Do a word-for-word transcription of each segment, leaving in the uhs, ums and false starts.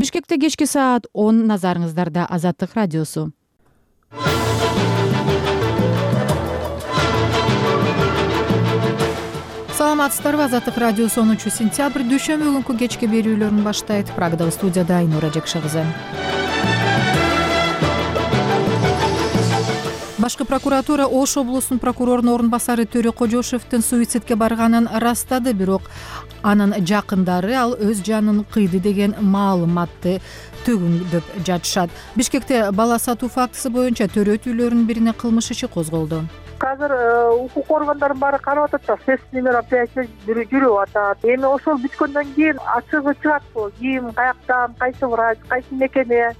Бишкекте кечки саат он, назарыңыздарда Азаттык радиосу. Саламатсыздарбы? Азаттык радиосу онунчу сентябрь дүйшөмбү күнкү кечки берүүлөрүн баштайт. Прагадагы студияда Айнура Жекши кызы. Башкы прокуратура Ош облусунун прокурорунун орун басары Төрө Кожошевдин суицидке барганын ырастады, бирок анын жакындары ал өз жанын кыйды деген маалыматты төгүндөп жатышат. Бишкекте бала сатуу фактысы боюнча төрөт үйлөрүнүн бирине кылмыш иши козголду. Азыр укук органдарын баары карап атат да, следственный мероприятие жүрүп атат. Эми ошол бүткөндөн кийин ачыгы чыгатпы, ким, каяктан, кайсы врач, кайсы мекеме.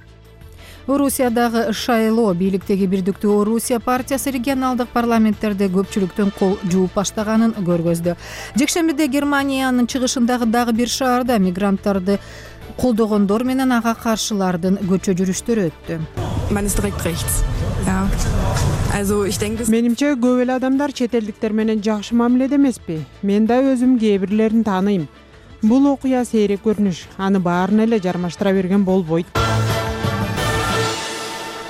Орусиядагы Шайло бийликтеги Бирдиктүү Орусия партиясы регионалдык парламенттерде көпчүлүктүн кол жууп баштаганын көргөздү. Жекшембиде Германиянын чыгышындагы дагы бир шаарда мигранттарды колдогондор менен ага каршылардын көчө жүрүштөрү өттү. Менимче көп эле адамдар чет элдиктер менен жакшы мамиледе эмеспи. Мен да өзүм кээ бирлерин тааныйм. Бул окуя сейрек көрүнүш, аны баарын эле жармаштыра берген болбойт.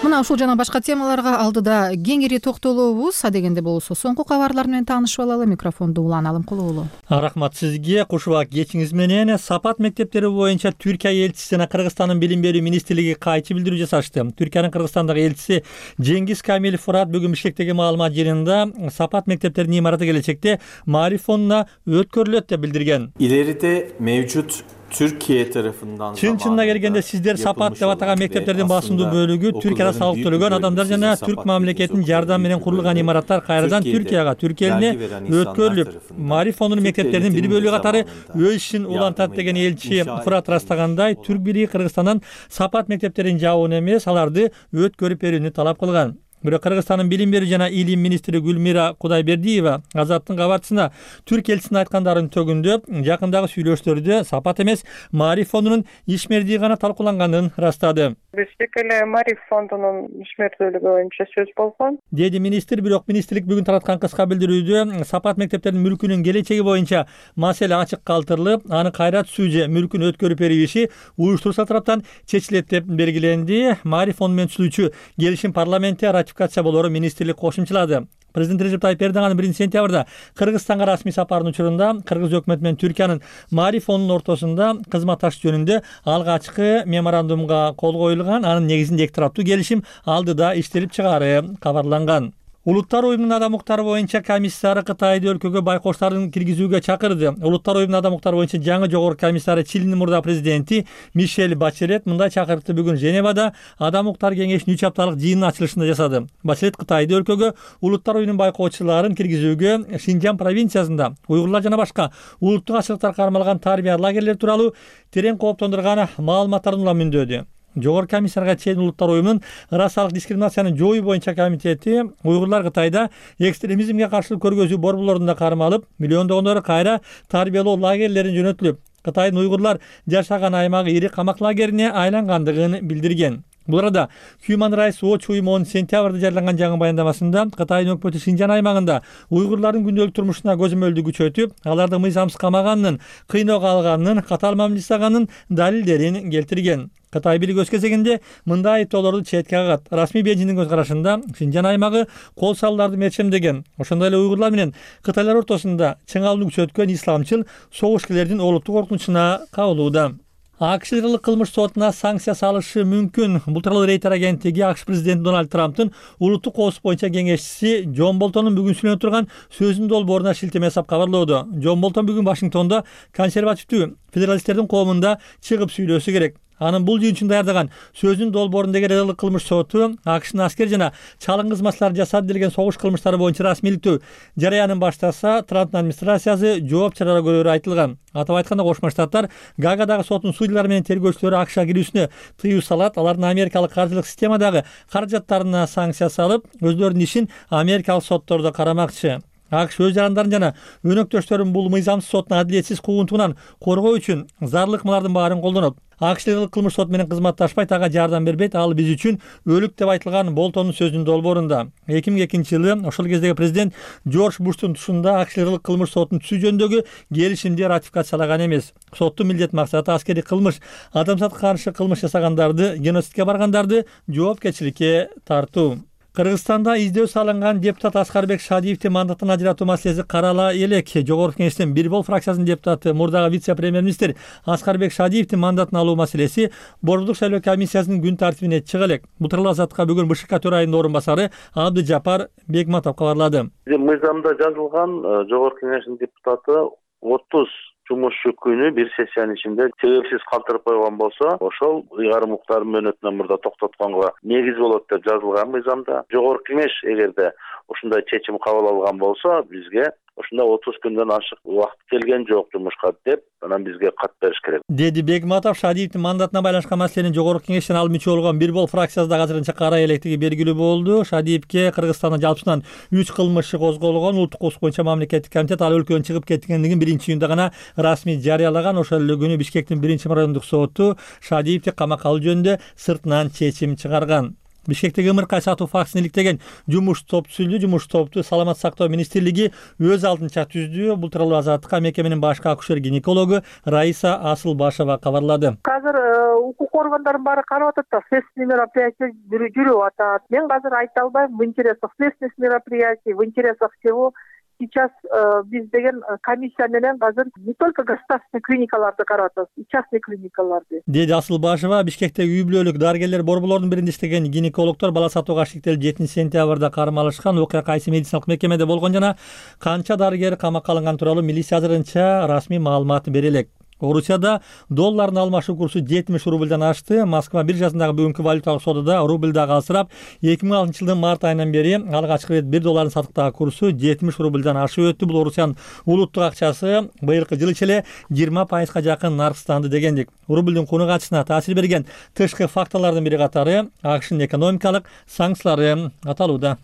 Мына ушул жана башка темаларга алдыда кеңири токтолобуз. Адегенде болсо соңку кабарлар менен таанышып алалы. Микрофонду Улан Алымкулуу. Рахмат сизге. Кушубак кечиңиз менен Сапат мектептери боюнча Түркия элчиси жана Кыргызстандын билим берүү министрлиги кайчы билдирүү жасашты. Түркиянын Кыргызстандагы элчиси Жеңгиз Камил Фурат бүгүн Бишкектеги маалымат жыйынында Сапат мектептеринин имараты келечекте Маариф фондуна өткөрүлөт деп билдирген. İleride mevcut Türkiye tarafından Чын-чынына келгенде сиздер Сапат деп атаган мектептердин басымдуу бөлүгү Түркияда салык төлөгөн адамдар жана түрк мамлекетинин жардамы менен курулган имараттар кайрадан Түркияга, Түркия элине өткөрүлүп, Маариф фондунун мектептеринин бир бөлүгү катары өз ишин улантат деген элчи Фурат ырастагандай, Түрк бири Кыргызстандан Сапат мектептерин жабууну эмес, аларды өткөрүп берүүнү талап кылган. Бирок Кыргызстандын билим берүү жана илим министри Гүлмира Кудайбердиева Азаттын кабарчысына Түрк элчисинин айткандарын төгүндөп, жакындагы сүйлөшүүлөрдө Сапат эмес, Маариф фондунун ишмердиги гана талкууланганын ырастады. Бишкек эле Маариф фондунун ишмердүүлүгү боюнча сөз болгон, деди министр. Бирок министрлик бүгүн тараткан кыска билдирүүдө Сапат мектептеринин мүлкүнүн келечеги боюнча маселе ачык калтырылып, аны кайра түзүү же мүлкүн өткөрүп берүү иши уюштуруучу тараптан чечилет деп белгиленди. Маариф фонду менен түзүүчү келишим парламентте ратификация болоору министрлик кошумчалады. Президент Режеп Тайип Эрдоган биринчи сентябрда Кыргызстанга расмий сапарынын учурунда Кыргыз өкмөтү менен Түркиянын Маариф фондунун ортосунда кызматташуу жөнүндө алгачкы меморандумга кол коюлган. Анын негизинде эки тараптуу келишим алдыда иштелип чыгаары кабарланган. Улуттар уюмунун адам укуктары боюнча комиссары Кытайды өлкөгө байкоштардын киргизүүгө чакырды. Улуттар уюмунун адам укуктары боюнча жаңы жогорку комиссары Чилинин мурда президенти Мишель Бачелет мындай чакырыкты бүгүн Женевада адам укуктары кеңешинин үч апталык жыйынынын ачылышында жасады. Бачелет Кытайды өлкөгө улуттар уюмунун байкоочуларын киргизүүгө Шинжан провинциясында уйгурлар жана башка улуттук ачылыктар кармалган тарбия лагерлери тууралуу терең кооптондурган маалыматтарды улам мөөндөдү. Жогорку комиссарга чейин улуттар уюмунун расалык дискриминацияны жоюу боюнча комитети уйгурлар Кытайда экстремизмге каршы көргөзүү борборлорунда кармалып, миллиондогондору кайра тарбиялоо лагерлерин жөнөтүлүп, Кытайдын уйгурлар жашаган аймагы ири камак лагерине айлангандыгын билдирген. Бул арада Human Rights Watch уюму онунчу сентябрда жарыяланган жаңы баяндамасында Кытайдын өкмөтү Шинжан аймагында уйгурлардын күндөлүк турмушуна көзөмөлдү күчөтүп, аларды мыйзамсыз камаганын, кыйноого алганын, катаал мамиле жасаганын далилдерин келтирген. Кытай бийлиги өз кезегинде мындай айыптоолорду четке кагат. Расмий Бейжиңдин көз карашында Шинжан аймагы кол салууларды мерчемдеген. Ошондой эле уйгурлар менен кытайлар ортосунда чың алууну күчөткөн исламчыл согушкерлердин олуттук коркунучуна кабылууда. АКШ Федералдык кылмыш сотуна санкция салышы мүмкүн. Бул тууралуу Рейтер агенттиги АКШ президенти Дональд Трамптын улуттук коопсуздук боюнча кеңешчиси Джон Болтондун бүгүн сүйлөнүп турган сөзүнүн долбооруна шилтеме жасап кабарлоодо. Джон Болтон бүгүн Вашингтондо консервативдүү федералисттердин коомунда чыгып сүйлөшү керек. Анын бул жыйын үчүн даярдаган сөзүнүн долбоорундагы Федералдык кылмыш соту АКШнын аскер жана чалым кызматчылары жасады делген согуш кылмыштары боюнча расмийликтүү жарыянын баштаса, Трамптын администрациясы жооп чыгаруу көрөөрү айтылган. Атап айтканда, Кошмо Штаттар Гаагадагы соттун судьялары менен тергөөчүлөрү АКШга кирүүсүнө тыюу салат, алардын америкалык каржылык системадагы каражаттарына санкция салып, өздөрүнүн ишин америкалык соттордо карамакчы. АКШ өз жарандарын жана өнөктөштөрүн бул мыйзамсыз соттун адилетсиз куугунтугунан коргоо үчүн зарыл ыкмалардын баарын колдонот. АКШ кылмыш сот менен кызматташпайт, ага жардам бербейт, ал биз үчүн өлүк деп айтылган Болтондун сөзүнүн долбоорунда. эки миң экинчи жылы ошол кездеги президент Жорж Буштун тушунда АКШ кылмыш соттун түзүү жөнүндөгү келишимди ратификациялаган эмес. Соттун милдет максаты аскердик кылмыш, адамзатка каршы кылмыш жасагандарды, геноцидке баргандарды жоопкерчиликке тартуу. Кыргызстанда издөө салынган депутат Аскарбек Шадиевди мандаттан ажыратуу маселеси карала элек. Жогорку Кеңештин бир бол фракциясынын депутаты, мурдагы вице-премьер-министр Аскарбек Шадиевди мандатын алуу маселеси Борбордук шайлоо комиссиясынын күн тартибине чыга элек. Бул тууралуу Азаттыкка бүгүн БШК төрайымынын орун басары Абдыжапар Бегматов кабарлады. Мыйзамда жазылган Жогорку Кеңештин депутаты отуз жумушчу күнү бир сессиянын ичинде себепсиз калтырып койгон болсо, ошол ыйгарым укуктардын мөөнөтүнөн мурда токтотконго негиз болот деп жазылган мыйзамда. Жогорку Кеңеш эгерде ушундай чечим кабыл алган болсо, бизге ушундай отуз күндөн ашык убакыт келген жок жумушка деп, анан бизге кат бериш керек, деди Бегматов. Шадиевдин мандатына байланышкан маселени Жогорку Кеңештен ал мүчө болгон бир бол фракциясында азырынча карай электиги белгилүү болду. Шадиевге Кыргызстанда жалпысынан үч кылмыш козголгон. Улуттук укук боюнча мамлекеттик комитет ал өлкөдөн чыгып кеткендигин биринчи июнда гана расмий жарыялаган. Ошол эле күнү Бишкектин биринчи райондук соту Шадиевди камакка алуу жөнүндө сыртынан чечим чыгарган. Бишкектеги ымыркай сатуу фактысын иликтеген жумуш топ түзүлдү. Жумуш топту Саламат сактоо министрлиги өз алдынча түздү. Бул тууралуу Азаттыкка мекеменин башкы акушер-гинекологу Раиса Асылбашева кабарлады. Азыр укук органдарын баары карап атат да, следственный мероприятие жүрүп атат. Мен азыр айта албайм в интересах следственных мероприятий, в интересах чего. Сейчас э, биз деген комиссия менен азыр не только государственный клиникаларды карап атабыз, и частный клиникаларды, деди Асылбашева. Бишкектеги үй бүлөлүк дарыгерлер борборлорунун биринде иштеген гинекологдор бала сатууга шектелип жетинчи сентябрда кармалышкан. Окуя кайсы медициналык мекемеде болгон жана канча дарыгер камакка алынган тууралуу милиция азырынча расмий маалымат бере элек. Орусияда доллардын алмашуу курсу жетимиш рубльдан ашты. Москва биржасындагы бүгүнкү валюталык содада рубль дагы алсырап, эки миң алтынчы жылдын март айынан бери алгачкы ирет бир доллардын сатыктагы курсу жетимиш рубльдан ашып өттү. Бул Орусиянын улуттук акчасы быйылкы жыл ичи эле жыйырма пайызга жакын наркстанды дегендик. Рубльдин куну качысына таасир берген тышкы факторлордун бири катары АКШнын экономикалык санкциялары аталууда.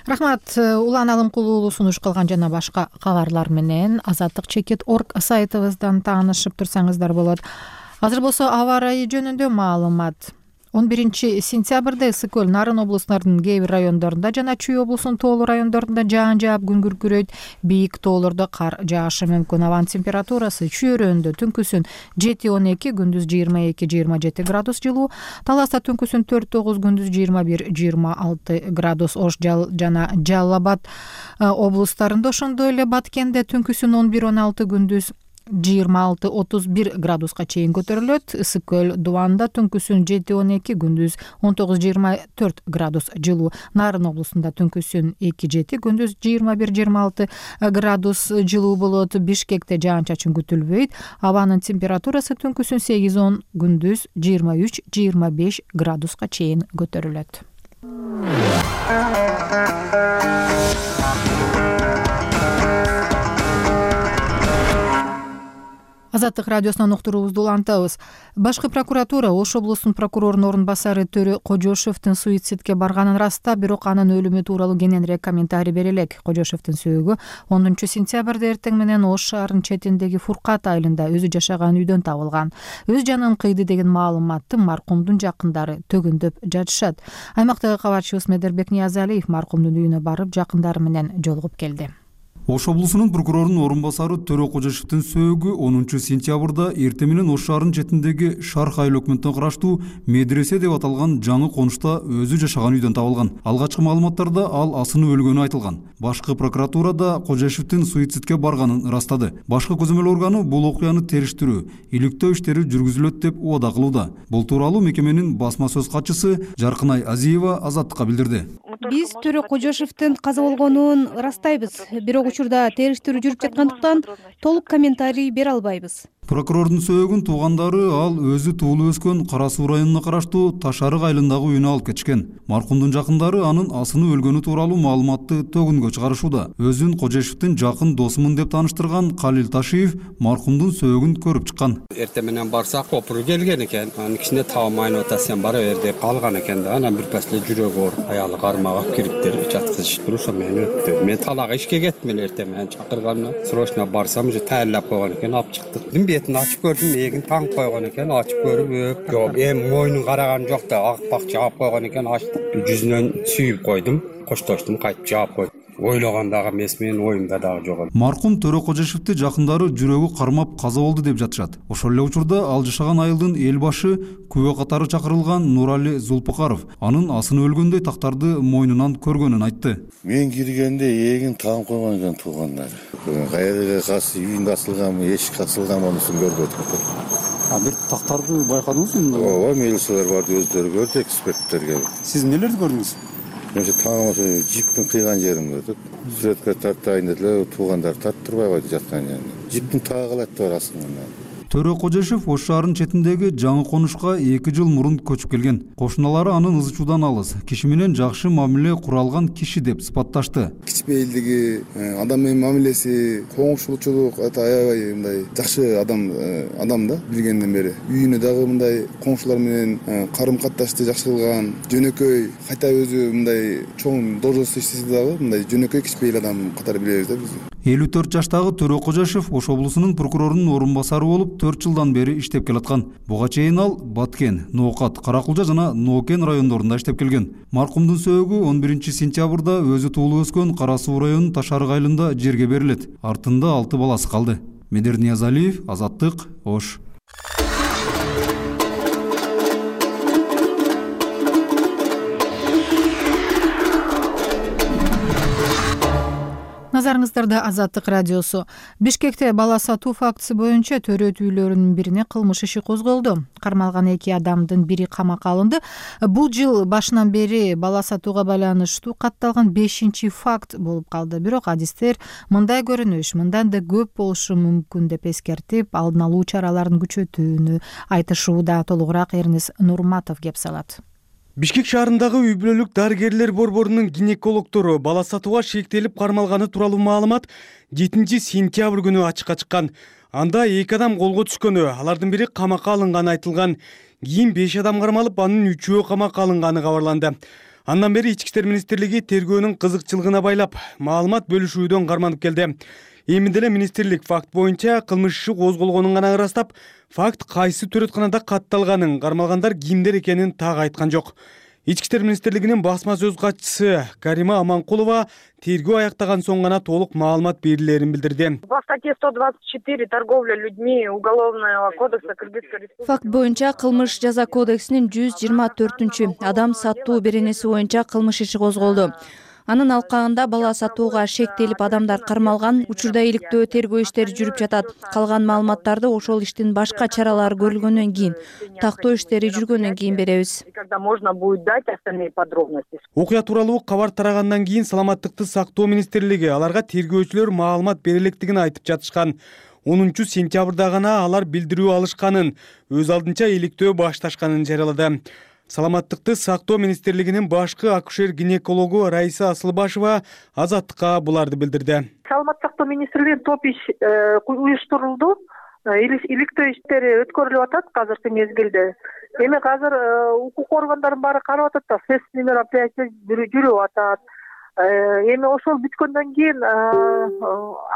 Рахмат. Улан Алымкулуулу сунуш кылган жана башка кабарлар менен азаттык чекит точка орг сайтыбыздан таанышып турсаңыздар болот. Азыр болсо аба ырайы жөнүндө маалымат. он биринчи сентябрда Ысык көл, Нарын облустарынын кээ бир райондорунда жана Чүй облусунун тоолуу райондорунда жаан жаап күн күркүрөйт. Бийик тоолордо кар жаашы мүмкүн. Абанын температурасы Чүй өрөөнүндө түнкүсүн жети он эки, күндүз жыйырма эки жыйырма жети градус жылуу. Таласта түнкүсүн төрт тогуз, күндүз жыйырма бир жыйырма алты градус. Ош жана Жалал облустарында ошондой эле. Баткенде түнкүсүн он бир он алты, күндүз жыйырма алты отуз бир градуска чейин көтөрүлөт. Ысык көл Дубанда түнкүсүн жети он эки, күндүз он тогуз жыйырма төрт градус жылуу. Нарын облусунда түнкүсүн эки жети, күндүз жыйырма бир жыйырма алты градус жылуу болот. Бишкекте жаан-чачын күтүлбөйт. Абанын температурасы түнкүсүн сегиз он, күндүз жыйырма үч жыйырма беш градуска чейин көтөрүлөт. Азаттык радиосунан уктуруубузду улантабыз. Башкы прокуратура Ош облусунун прокурорунун орун басары Төрө Кожошевдин суицидке барганын ырастап, бирок анын өлүмү тууралуу кененирээк комментарий бере элек. Кожошевдин сөөгү онунчу сентябрда эртең менен Ош шаарынын четиндеги Фуркат айылында өзү жашаган үйдөн табылган. Өз жанын кыйды деген маалыматты маркумдун жакындары төгүндөп жатышат. Аймактагы кабарчыбыз Медербек Ниязалиев маркумдун үйүнө барып, жакындары менен жолугуп келди. Ош облусунун прокурорунун орун басары Төрө Кожошевдин сөөгү онунчу сентябрда эртең менен Ош шаарынын четиндеги Шарх айыл өкмөтүнө караштуу медресе деп аталган жаңы конушта өзү жашаган үйдөн табылган. Алгачкы маалыматтарда ал асынып өлгөнү айтылган. Башкы прокуратурада Кожошевдин суицидке барганын ырастады. Башкы көзөмөл органы бул окуяны териштирүү, иликтөө иштери жүргүзүлөт деп убада кылууда. Бул тууралуу мекеменин басма сөз катчысы Жаркынай Азиева Азаттыкка билдирди. Биз Төрө Кожошевдин каза болгонун ырастайбыз, бирок учурда териштирүү жүрүп жаткандыктан толук комментарий бере албайбыз. Прокурордун сөөгүн туугандары ал өзү туулуп өскөн Кара Суу районуна караштуу Таш арык айылындагы үйүнө алып кетишкен. Маркумдун жакындары анын асыны өлгөнү тууралуу маалыматты төгүнгө чыгарышууда. Өзүн Кожешевдин жакын досумун деп тааныштырган Калил Ташиев маркумдун сөөгүн көрүп чыккан. Эртең менен барсак копуру келген экен. Анын кичине табамайын ата сен бара бер деп калган экен да. Анан бир пасла жүрөгү ооруп аялы кармагы алып кириптер жаткызышты. Ошо мени өттү. Мен талага ишке кеттим эле эртең менен чакырганына. Срочно барсам уже тайылап койгон экен, алып чыктык. Бетин ачып көрдүм, эгин таңып койгон экен, ачып көрүп, жок, эми мойнун караган жок да, акпак жаап койгон экен, ачтым. Жүзүнөн сүйүп койдум, коштоштум, кайтып жаап койдум. Ойлогондагы эмес, менин оюмда дагы жок. Маркум Төрө Кожешевди жакындары жүрөгү кармап каза болду деп жатышат. Ошол эле учурда ал жашаган айылдын эл башы күбө катары чакырылган Нурали Зулпукаров анын асыны өлгөндөй тактарды мойнунан көргөнүн айтты. Мен киргенде эгин таң койгон экен туугандары. Кайерге касы үйүндө асылганбы, эшикке асылганбы анысын көрбөдүк. А бир тактарды байкадыңызбы? Ооба, милициялар барды, өздөрү көрдү, эксперттерге. Сиз эмнелерди көрдүңүз? Мен таңымы жиптин кыйган жерин көрдүк. Сүрөткө тартайын деле, туугандар тарттырбай койду жаткан жерин. Жиптин таагылат бар асылган. Төрө Кожешев Ош шаарынын четиндеги жаңы конушка эки жыл мурун көчүп келген. Кошуналары анын ызы чуудан алыс, киши менен жакшы мамиле кура алган киши деп сыпатташты. Кичпейилдиги, адам менен мамилеси, коңшулчулук аябай мындай жакшы адам адам да билгенден бери. Үйүнө дагы мындай коңшулар менен карым катташты жакшы кылган, жөнөкөй, кайта өзү мындай чоң должность иштесе дагы мындай жөнөкөй кичпейил адам катары билебиз да биз. элүү төрт жаштагы Төрө Кожешев Ош облусунун прокурорунун орун басары болуп төрт жылдан бери иштеп келаткан. Буга чейин ал Баткен, Ноокат, Каракулжа жана Ноокен райондорунда иштеп келген. Маркумдун сөөгү он биринчи сентябрда өзү туулуп өскөн Кара Суу районунун Таш арык айылында жерге берилет. Артында алты баласы калды. Медер Ниязалиев, Азаттык, Ош. Назарыңыздарда Азаттык радиосу. Бишкекте бала сатуу фактысы боюнча төрөт үйлөрүнүн бирине кылмыш иши козголду. Кармалган эки адамдын бири камакка алынды. Бул жыл башынан бери бала сатууга байланыштуу катталган бешинчи факт болуп калды. Бирок адистер мындай көрүнүш мындан да көп болушу мүмкүн деп эскертип, алдын алуу чараларын күчөтүүнү айтышууда. Толугураак Эрнес Нурматов кеп салат. Бишкек шаарындагы үй бүлөлүк дарыгерлер борборунун гинекологдору бала сатууга шектелип кармалганы тууралуу маалымат жетинчи сентябрь күнү ачыкка чыккан. Анда эки адам колго түшкөнү, алардын бири камакка алынганы айтылган. Кийин беш адам кармалып, анын үчөө камакка алынганы кабарланды. Андан бери Ички иштер министрлиги тергөөнүн кызыкчылыгына байлап маалымат бөлүшүүдөн карманып келди. Эми деле министрлик факт боюнча кылмыш иши козголгонун гана ырастап, факт кайсы төрөтканада катталганын, кармалгандар кимдер экенин так айткан жок. Ички иштер министрлигинин басма сөз катчысы Карима Аманкулова тергөө аяктаган соң гана толук маалымат берилерин билдирди. По статье сто двадцать четыре торговля людьми Уголовного кодекса Кыргызской Республики. Факт боюнча кылмыш жаза кодексинин жүз жыйырма төртүнчү адам сатуу беренеси боюнча кылмыш иши козголду. Анын алкагында бала сатууга шектелип адамдар кармалган, учурда иликтөө тергөө иштери жүрүп жатат. Калган маалыматтарды ошол иштин башка чаралары көрүлгөндөн кийин, тактоо иштери жүргөндөн кийин беребиз. Когда можно будет дать остальные подробности. Окуя тууралуу кабар тарагандан кийин Саламаттыкты сактоо министрлиги аларга тергөөчүлөр маалымат бере электигин айтып жатышкан. онунчу сентябрда гана алар билдирүү алышканын, өз алдынча иликтөө башташканын жарыялады. Саламаттыкты сактоо министрлигинин башкы акушер-гинекологу Раиса Асылбашева Азаттыкка буларды билдирди. Саламаттык сактоо министрлигинин топ иш уюштурулду. Иликтөө иштери өткөрүлүп атат азыркы мезгилде. Эми азыр укук органдарын баары карап атат да, следственный мероприятия жүрүп атат. Эми ошол бүткөндөн кийин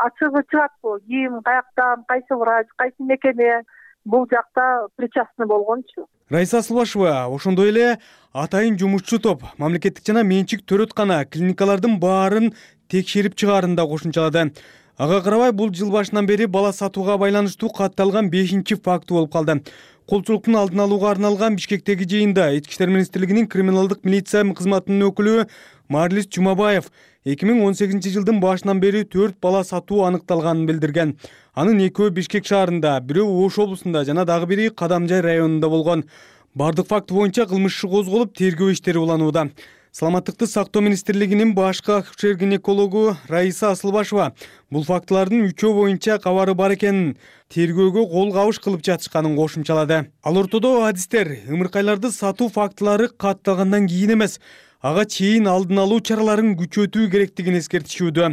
ачыгы чыгатпы, ким, каяктан, кайсы врач, кайсы мекеме бул жакта причастный болгончу. Раиса Асылбашева ошондой эле атайын жумушчу топ мамлекеттик жана менчик төрөткана клиникалардын баарын текшерип чыгаарын да кошумчалады. Ага карабай бул жыл башынан бери бала сатууга байланыштуу катталган бешинчи факт болуп калды. Колчулуктун алдын алууга арналган Бишкектеги жыйында Ички иштер министрлигинин криминалдык милиция кызматынын өкүлү Марлис Жумабаев эки миң он сегизинчи жылдын башынан бери төрт бала сатуу аныкталганын билдирген. Анын экөө Бишкек шаарында, бирөө Ош облусунда жана дагы бири Кадамжай районунда болгон. Бардык факт боюнча кылмыш иши козголуп, тергөө иштери уланууда. саламаттыкты сактоо министрлигинин башкы акушер гинекологу Раиса Асылбашева бул фактылардын үчөө боюнча кабары бар экенин, тергөөгө кол кабыш кылып жатышканын кошумчалады. Ал ортодо адистер ымыркайларды сатуу фактылары катталгандан кийин эмес, ага чейин алдын алуу чараларын күчөтүү керектигин эскертишүүдө.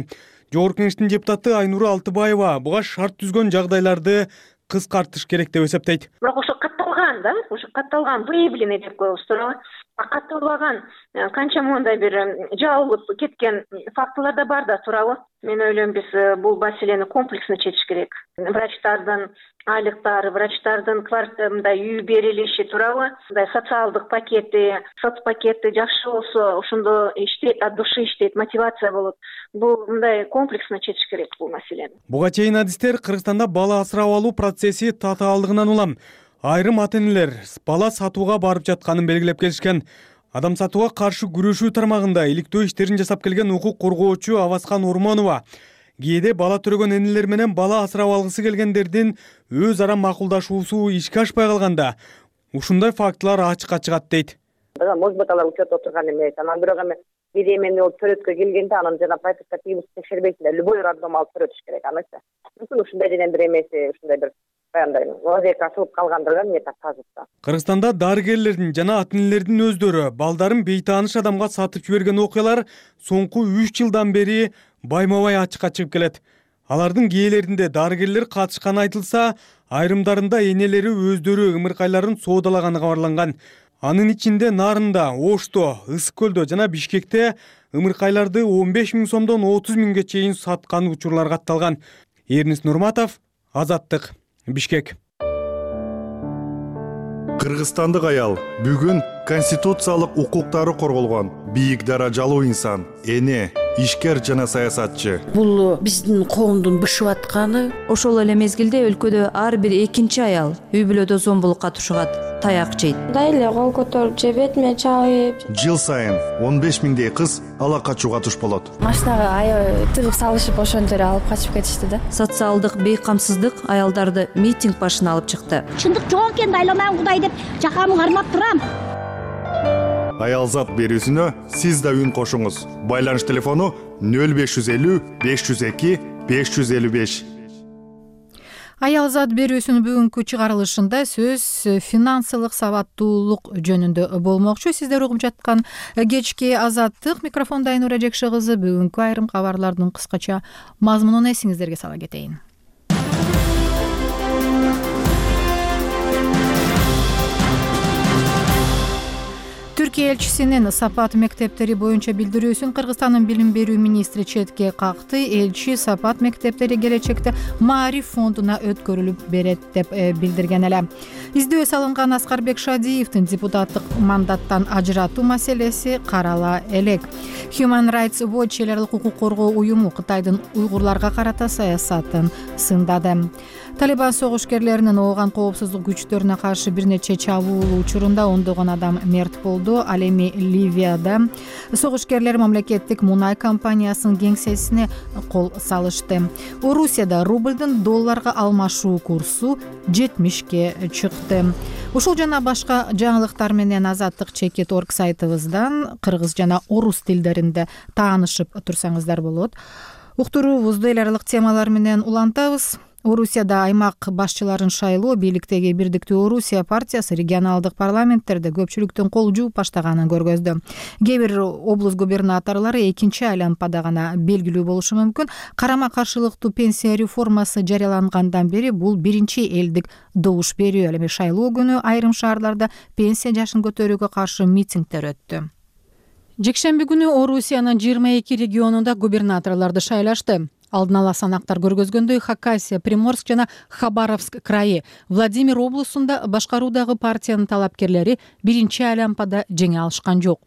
Жогорку Кеңештин депутаты Айнура Алтыбаева буга шарт түзгөн жагдайларды кыскартыш керек деп эсептейт. Бирок ошо катталган да, ошо катталган выявленный деп коебуз туурабы? Катталбаган канча мондай бир жабылып кеткен фактылар да бар да туурабы? Мен ойлойм, биз бул маселени комплексно чечиш керек. Врачтардын айлыктары, врачтардын квартирында үй берилиши туурабы? Мындай социалдык пакети, соцпакети жакшы болсо, ошондо иштейт, от души иштейт, мотивация болот. Бул мындай комплексно чечиш керек бул маселени. Буга чейин адистер Кыргызстанда бала асырап алуу процесси татаалдыгынан улам айрым ата-энелер бала сатууга барып жатканын белгилеп келишкен. Адам сатууга каршы күрөшүү тармагында иликтөө иштерин жасап келген укук коргоочу Аваскан Ормонова кээде бала төрөгөн энелер менен бала асырап алгысы келгендердин өз ара макулдашуусу ишке ашпай калганда ушундай фактылар ачыкка чыгат дейт. Может быть, алар учетто отурган эмес. Анан бирок эми беремени болуп төрөткө келгенде анан жана пропискативдик текшербейсиң да, любой роддом алып төрөтүш керек анысы. Мүмкүн ушундай денен бир эмеси, ушундай бир андай вазиятка асылып калгандыр мне так кажется. Кыргызстанда дарыгерлердин жана ата-энелердин өздөрү балдарын бейтааныш адамга сатып жиберген окуялар соңку үч жылдан бери байма-бай ачыкка чыгып келет. Алардын кээелеринде дарыгерлер катышканы айтылса, айрымдарында энелери өздөрү ымыркайларын соодалаганы кабарланган. Анын ичинде Нарында, Ошто, Ысык көлдө жана Бишкекте ымыркайларды он беш миң сомдон отуз миңге чейин саткан учурлар катталган. Эрнис Нурматов, Азаттык, Бишкек. Кыргызстандык аял бүгүн конституциялык укуктары корголгон бийик даражалуу инсан, эне, ишкер жана саясатчы. Бул биздин коомдун бышып атканы. Ошол эле мезгилде өлкөдө ар бир экинчи аял үй бүлөдө зомбулукка тушугат, таяк жейт. Дайле кол көтөрүп же бетиме чабып. Жыл сайын он беш миңдей кыз ала качууга туш болот. Машинага аябай тыгып салышып ошентип алып качып кетишти да. Социалдык бейкамсыздык аялдарды митинг башына алып чыкты. Чындык жок экен, айланам Кудай деп жакамы кармап турам. Аялзат берүүсүнө сиз да үн кошуңуз. Байланыш телефону нөл беш жүз элүү беш жүз эки беш жүз элүү беш. Аялзат берүүсүнүн бүгүнкү чыгарылышында сөз финансылык сабаттуулук жөнүндө болмокчу. Сиздер угуп жаткан кечки Азаттык, микрофондо Айнура Жекше кызы. Бүгүнкү айрым кабарлардын кыскача мазмунун эсиңиздерге сала кетейин. Түркия элчисинин Сапат мектептери боюнча билдирүүсүн Кыргызстандын билим берүү министри четке какты. Элчи Сапат мектептери келечекте Маариф фондуна өткөрүлүп берет деп билдирген эле. Издөө салынган Аскарбек Шадиевдин депутаттык мандаттан ажыратуу маселеси карала элек. Human Rights Watch эл аралык укук коргоо уюму Кытайдын уйгурларга карата саясатын сындады. Талибан согушкерлеринин ооган коопсуздук күчтөрүнө каршы бир нече чабуул учурунда ондогон адам мерт болду. Ал эми Ливияда согушкерлер мамлекеттик мунай компаниясынын кеңсесине кол салышты. Орусияда рублдун долларга алмашуу курсу жетимишке чыкты. Ушул жана башка жаңылыктар менен Азаттык чекит точка орг сайтыбыздан кыргыз жана орус тилдеринде таанышып турсаңыздар болот. Уктуруубузду эл аралык темалар менен улантабыз. Орусияда аймак башчыларын шайлоо бийликтеги Бирдиктүү Орусия партиясы регионалдык парламенттерде көпчүлүктүн кол жууп баштаганын көргөздү. Кээ бир облус губернаторлору экинчи айланпада гана белгилүү болушу мүмкүн. Карама каршылыктуу пенсия реформасы жарыялангандан бери бул биринчи элдик добуш берүү. Ал эми шайлоо күнү айрым шаарларда пенсия жашын көтөрүүгө каршы митингдер өттү. Жекшемби күнү Орусиянын жыйырма эки регионунда губернаторлорду шайлашты. Алдын ала санактар көргөзгөндөй Хакасия, Приморск жана Хабаровск крайы, Владимир облусунда башкаруудагы партиянын талапкерлери биринчи айланпада жеңе алышкан жок.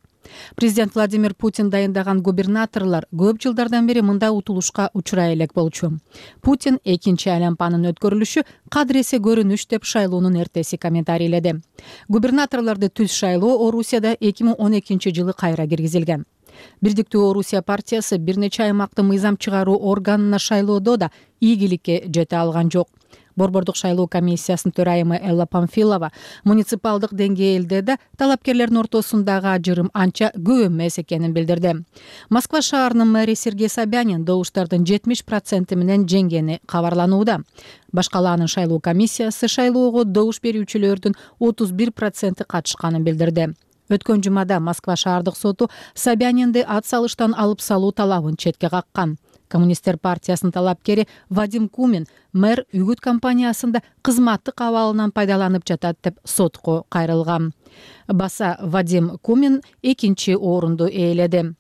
Президент Владимир Путин дайындаган губернаторлор көп жылдардан бери мындай утулушка учурай элек болчу. Путин экинчи айланпанын өткөрүлүшү кадыресе көрүнүш деп шайлоонун эртеси комментарийледи. Губернаторлорду түз шайлоо Орусияда эки миң он экинчи жылы кайра киргизилген. Бирдиктүү Орусия партиясы бир нече аймакты мыйзам чыгаруу органына шайлоодо да ийгиликке жете алган жок. Борбордук шайлоо комиссиясынын төрайымы Элла Памфилова муниципалдык деңгээлде да талапкерлердин ортосундагы ажырым анча көп эмес экенин билдирди. Москва шаарынын мэри Сергей Собянин добуштардын жетимиш проценти менен жеңгени кабарланууда. Башкалаанын шайлоо комиссиясы шайлоого добуш берүүчүлөрдүн отуз бир проценти катышканын билдирди. Өткөн жумада Москва шаардык соту Собянинди ат салыштан алып салуу талабын четке каккан. Коммунисттер партиясынын талапкери Вадим Кумин мэр үгүт компаниясында кызматтык абалынан пайдаланып жатат деп сотко кайрылган. Баса Вадим Кумин экинчи орунду ээледи.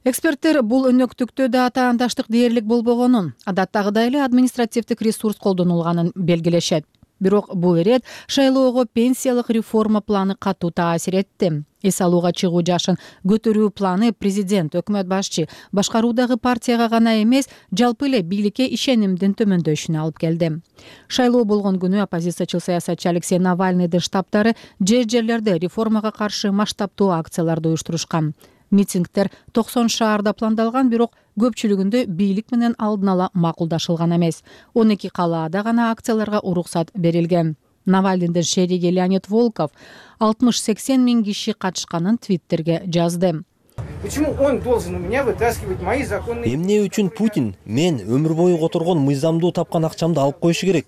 Эксперттер бул өнөктүктө да атаандаштык дээрлик болбогонун, адаттагыдай эле административдик ресурс колдонулганын белгилешет. Бирок бул ирет шайлоого пенсиялык реформа планы катуу таасир этти. Эс алууга чыгуу жашын көтөрүү планы президент, өкмөт башчы, башкаруудагы партияга гана эмес, жалпы эле бийликке ишенимдин төмөндөшүнө алып келди. Шайлоо болгон күнү оппозициячыл саясатчы Алексей Навальныйдын штабтары жер жерлерде реформага каршы масштабтуу акцияларды уюштурушкан. Митингдер токсон шаарда пландалган, бирок көпчүлүгүндө бийлик менен алдын ала макулдашылган эмес. он эки калаада гана акцияларга уруксат берилген. Навальныйдын шериги Леонид Волков алтымыш сексен миң киши катышканын Твиттерге жазды. Почему он должен у меня вытаскивать мои законные... Эмне үчүн Путин мен өмүр бою которгон мыйзамдуу тапкан акчамды алып коюшу керек?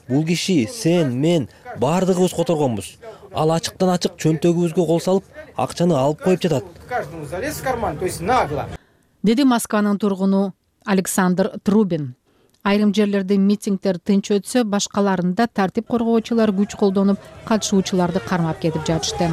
Бул киши, сен, мен баардыгыбыз которгонбуз. Ал ачыктан ачык чөнтөгүбүзгө кол салып, акчаны алып коюп жатат. Каждому залез в карман, то есть нагло. Деди Москванын тургуну Александр Трубин. Айрым жерлерде митингдер тынч өтсө, башкаларында тартип коргоочулар күч колдонуп, катышуучуларды кармап кетип жатышты.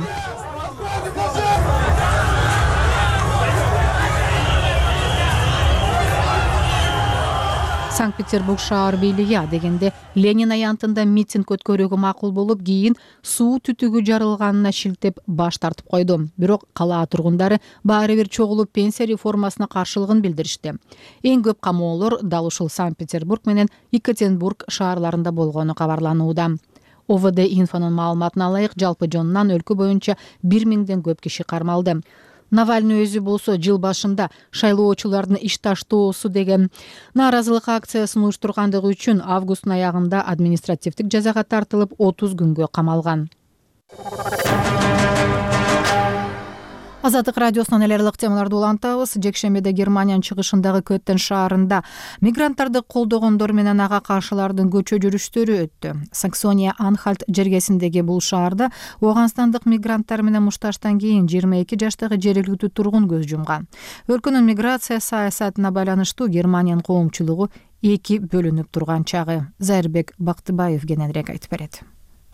Санкт-Петербург шаар бийлиги дегенде Ленин аянтында митинг өткөрүүгө макул болуп, кийин суу түтүгү жарылганына шилтеп баш тартып койду. Бирок кала тургундары баары бир чогулуп пенсия реформасына каршылыгын билдиришти. Эң көп камоолор дал ушул Санкт-Петербург менен Екатеринбург шаарларында болгону кабарланууда. О В Д инфонун маалыматына ылайык, жалпы жонунан өлкө боюнча бир миңден көп киши кармалды. Навальный өзү болсо жыл башында шайлоочулардын иш таштоосу деген нааразылык акциясын уюштургандыгы үчүн августтун аягында административдик жазага тартылып отуз күнгө камалган. Азаттык радиосунан эле ылык темаларды улантабыз. Жекшембиде Германиянын чыгышындагы Көттен шаарында мигранттарды колдогондор менен ага каршылардын көчө жүрүштөрү өттү. Саксония-Анхальт жергесиндеги бул шаарда Ооганстандык мигранттар менен мушташтан кийин жыйырма эки жаштагы жергиликтүү тургун көз жумган. Өлкөнүн миграция саясатына байланыштуу Германиянын коомчулугу эки бөлүнүп турган чагы. Зайырбек Бактыбаев кененирээк айтып берет.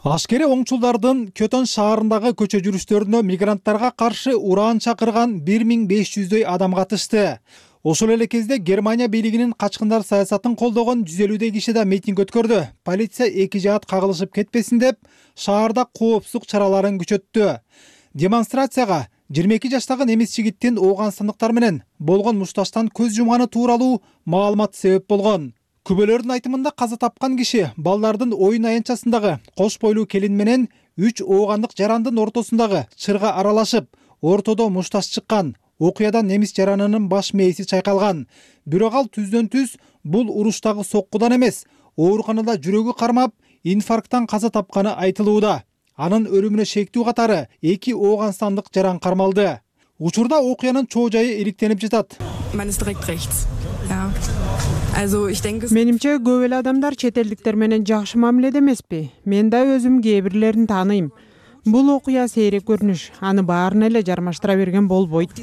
Ашкери оңчулдардын Көтөн шаарындагы көчө жүрүштөрүнө мигранттарга каршы ураан чакырган бир миң беш жүздөй адам катышты. Ошол эле кезде Германия бийлигинин качкындар саясатын колдогон жүз элүүдөй киши да митинг өткөрдү. Полиция эки жаат кагылышып кетпесин деп шаарда коопсуздук чараларын күчөттү. Демонстрацияга жыйырма эки жаштагы немис жигиттин Ооганстандыктар менен болгон мушташтан көз жумганы тууралуу маалымат себеп болгон. Күбөлөрдүн айтымында каза тапкан киши балдардын оюн аянтчасындагы кош бойлуу келин менен үч оогандык жарандын ортосундагы чырга аралашып, ортодо мушташ чыккан. Окуядан немис жаранынын баш мээси чайкалган. Бирок ал түздөн түз бул уруштагы соккудан эмес, ооруканада жүрөгү кармап, инфаркттан каза тапканы айтылууда. Анын өлүмүнө шектүү катары эки ооганстандык жаран кармалды. Учурда окуянын чоо жайы иликтенип жатат. Менимче көп эле адамдар чет элдиктер менен жакшы мамиледе эмеспи. Мен да өзүм кээ бирлерин тааныйм. Бул окуя сейрек көрүнүш, аны баарына эле жармаштыра берген болбойт.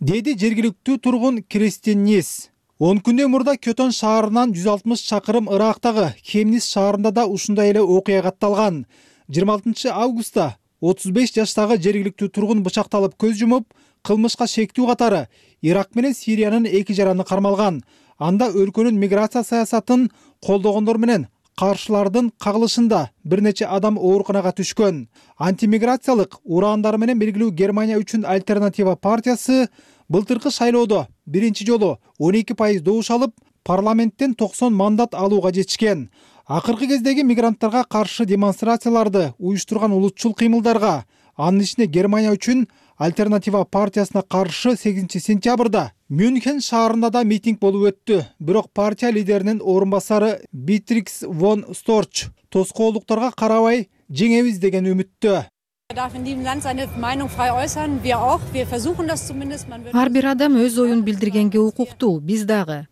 Деди жергиликтүү тургун Кристин Нис. он күндөн мурда Көтөн шаарынан жүз алтымыш чакырым ырактагы Хемнис шаарында да ушундай эле окуя катталган. жыйырма алтынчы августта отуз беш жаштагы жергиликтүү тургун бычакталып көз жумуп, кылмышка шектүү катары Ирак менен Сириянын эки жараны кармалган. Анда өлкөнүн миграция саясатын колдогондор менен каршылардын кагылышында бир нече адам ооруканага түшкөн. Антимиграциялык ураандар менен белгилүү Германия үчүн альтернатива партиясы былтыркы шайлоодо биринчи жолу он эки пайыз добуш алып, парламенттен токсон мандат алууга жетишкен. Акыркы кездеги мигранттарга каршы демонстрацияларды уюштурган улутчул кыймылдарга Анын ичинде Германия үчүн Альтернатива партиясына каршы сегизинчи сентябрда Мюнхен шаарында да митинг болуп өттү. Бирок партия лидеринин орун басары Битрикс фон Сторч тоскоолдуктарга карабай жеңебиз деген үмүттө. Ар бир адам өз оюн билдиргенге укуктуу, биз дагы.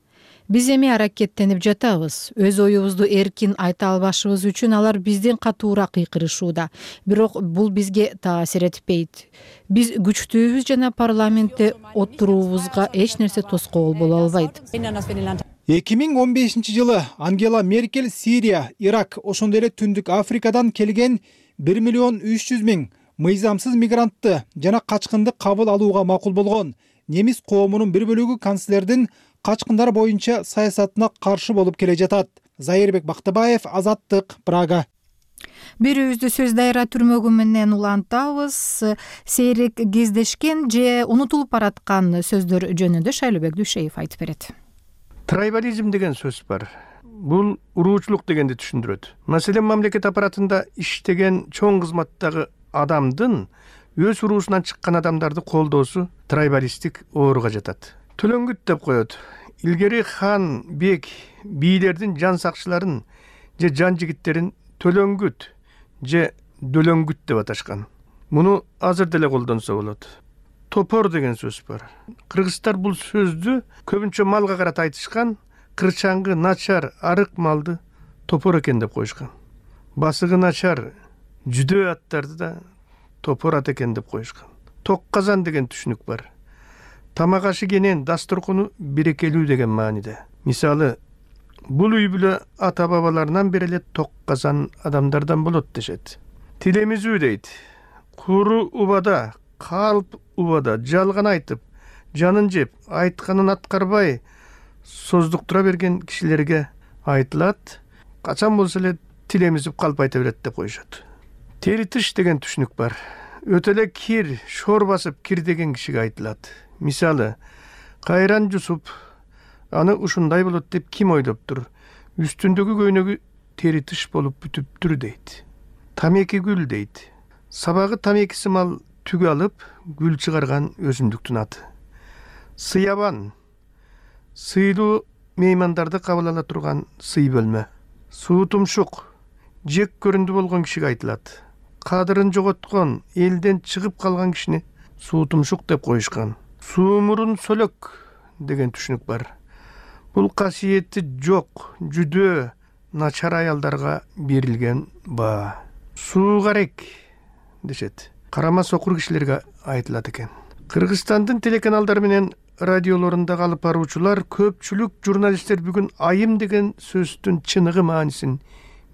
Биз эми аракеттенип жатабыз. Өз оюбузду эркин айта албашыбыз үчүн алар бизден катуураак кыйкырышууда. Бирок бул бизге таасир этпейт. Биз күчтүүбүз жана парламентте отуруубузга эч нерсе тоскоол боло албайт. эки миң он бешинчи жылы Ангела Меркель Сирия, Ирак, ошондой эле Түндүк Африкадан келген бир миллион үч жүз миң мыйзамсыз мигрантты жана качкынды кабыл алууга макул болгон. Немис коомунун бир бөлүгү канцлердин качкындар боюнча саясатына каршы болуп келе жатат. Зайырбек Бактыбаев, Азаттык, Прага. Бирөөбүздү сөз дайра түрмөгү менен улантабыз. Сейрек кездешкен же унутулуп бараткан сөздөр жөнүндө Шайлообек Дүйшеев айтып берет. Трайбализм деген сөз бар. Бул уруучулук дегенди түшүндүрөт. Маселен, мамлекет аппаратында иштеген чоң кызматтагы адамдын өз уруусунан чыккан адамдарды колдоосу трайбалисттик ооруга жатат. Төлөңгүт деп коет. Илгери хан, бек, бийлердин жан сакчыларын же жан жигиттерин төлөңгүт же дөлөңгүт деп аташкан. Муну азыр деле колдонсо болот. Топор деген сөз бар. Кыргыздар бул сөздү көбүнчө малга карата айтышкан, кырчаңгы, начар, арык малды топор экен деп коюшкан. Басыгы начар, жүдөө аттарды да топор ат экен деп коюшкан. Ток казан деген түшүнүк бар. Тамак ашы кенен дасторкону берекелүү деген мааниде. Мисалы, бул үй бүлө ата бабаларынан бери эле ток казан адамдардан болот дешет. Тилемизүү дейт. Куру убада, калп убада жалган айтып, жанын жеп, айтканын аткарбай создуктура берген кишилерге айтылат. Качан болсо эле тилемизип калп айта берет деп коюшат. Теритиш деген түшүнүк бар. Өтө эле кир, шор басып кир деген кишиге айтылат. Мисалы, кайран жусуп, аны ушундай болот деп ким ойлоптур? Үстүндөгү көйнөгү теритиш болуп бүтүптүр дейт. Тамеки гүл дейт. Сабагы тамекиси мал түгү алып, гүл чыгарган өсүмдүктүн аты. Сыябан, сыйлуу меймандарды кабыл ала турган сый бөлмө. Суу тумшук, жек көрүндү болгон кишиге айтылат. Кадырын жоготкон, элден чыгып калган кишини суу тумшук деп коюшкан. Суумурун сөлөк деген түшүнүк бар. Бул касиети жок, жүдөө, начар аялдарга берилген баа. Суугарек дешет. Карама сокур кишилерге айтылат экен. Кыргызстандын телеканалдары менен радиолорунда алып баруучулар, көпчүлүк журналисттер бүгүн айым деген сөздүн чыныгы маанисин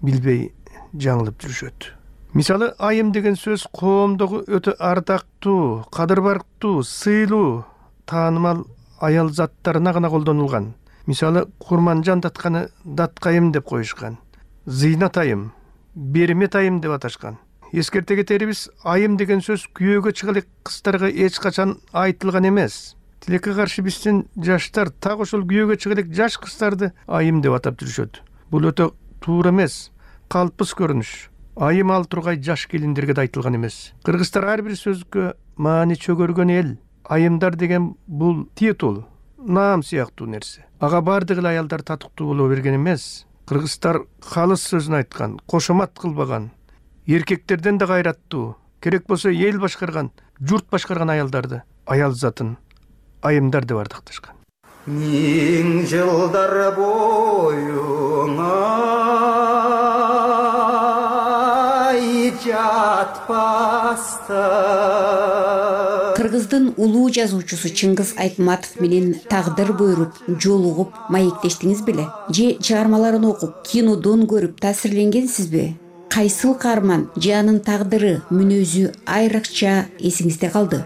билбей жаңылып жүрүшөт. Мисалы, айым деген сөз коомдогу өтө ардактуу, кадыр барктуу, сыйлуу, таанымал аял заттарына гана колдонулган. Мисалы, Курманжан датканы даткайым деп коюшкан. Зыйнат айым, бермет айым деп аташкан. Эскерте кетерибиз, айым деген сөз күйөөгө чыга элек кыздарга эч качан айтылган эмес. Тилекке каршы биздин жаштар так ошол күйөөгө чыга элек жаш кыздарды айым деп атап жүрүшөт. Бул өтө туура эмес, калпыс көрүнүш. Айым ал тургай жаш келиндерге да айтылган эмес. Кыргыздар ар бир сөзгө маани чөгөргөн эл. Айымдар деген бул титул, наам сыяктуу нерсе. Ага бардык эле аялдар татыктуу боло берген эмес. Кыргыздар калыс сөзүн айткан, кошомат кылбаган, эркектерден да кайраттуу, керек болсо эл башкарган, журт башкарган аялдарды, аял затын айымдар деп ардакташкан. Миң жылдар боюңа Кыргыздын улуу жазуучусу Чыңгыз Айтматов менен тагдыр буйруп, жолугуп, маектештиңиз беле? Же чыгармаларын окуп, кинодон көрүп таасирленгенсизби? Кайсыл каарман же анын тагдыры, мүнөзү айрыкча эсиңизде калды?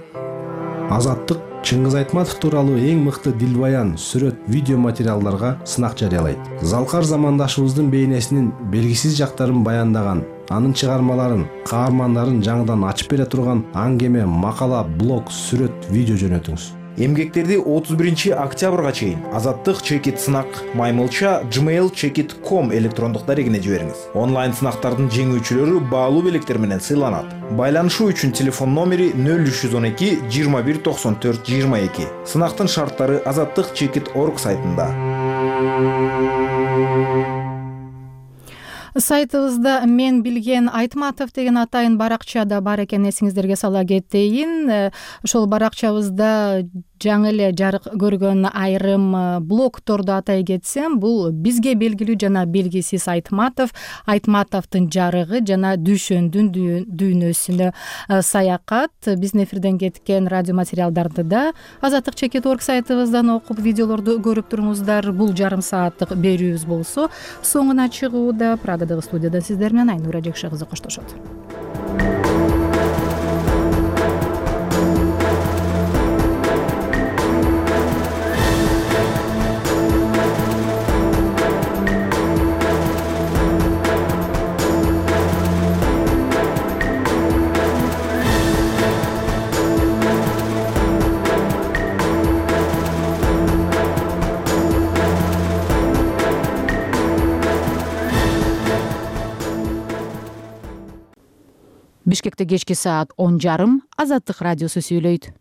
Азаттык Чыңгыз Айтматов тууралуу эң мыкты дилбаян, сүрөт, видео материалдарга сынак жарыялайт. Залкар замандашыбыздын бейнесинин белгисиз жактарын баяндаган, анын чыгармаларын, каармандарын жаңыдан ачып бере турган аңгеме, макала, блог, сүрөт, видео жөнөтүңүз. Эмгектерди отуз биринчи октябрга чейин азаттык чекит сынак маймылча gmail chekit точка com электрондук дарегине жибериңиз. Онлайн сынактардын жеңүүчүлөрү баалуу белектер менен сыйланат. Байланышуу үчүн телефон номери нөл үч жүз он эки жыйырма бир токсон төрт жыйырма эки. Сынактын шарттары азаттык чекит точка орг сайтында. Сайтыбызда мен билген Айтматов деген атайын баракчада бар экен, эсиңиздерге сала кетейин. Ошол баракчабызда жаңы эле жарык көргөн айрым блогторду атай кетсем, бул бизге белгилүү жана белгисиз Айтматов, Айтматовдун жарыгы жана Дүйшөндүн дүйнөсүнө саякат. Биздин эфирден кеткен радио материалдарды да азаттык чекит точка орг сайтыбыздан окуп, видеолорду көрүп туруңуздар. Бул жарым сааттык берүүбүз болсо, соңуна чыгууда Прагадагы студияда сиздер менен Айнура Жекше кызы коштошот. Бишкекте кечки саат он жарым Азаттык радиосу сүйлөйт.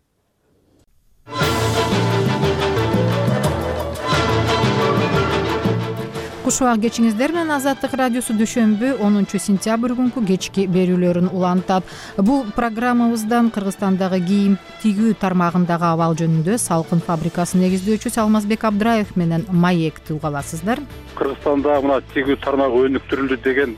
Кушубак кечиңиздер менен Азаттык радиосу дүйшөмбү онунчу сентябрь күнкү кечки берүүлөрүн улантат. Бул программабыздан Кыргызстандагы кийим тигүү тармагындагы абал жөнүндө Салкын фабрикасынын негиздөөчүсү Алмазбек Абдраев менен маекти уга аласыздар. Кыргызстанда мына тигүү тармагы өнүктүрүлдү деген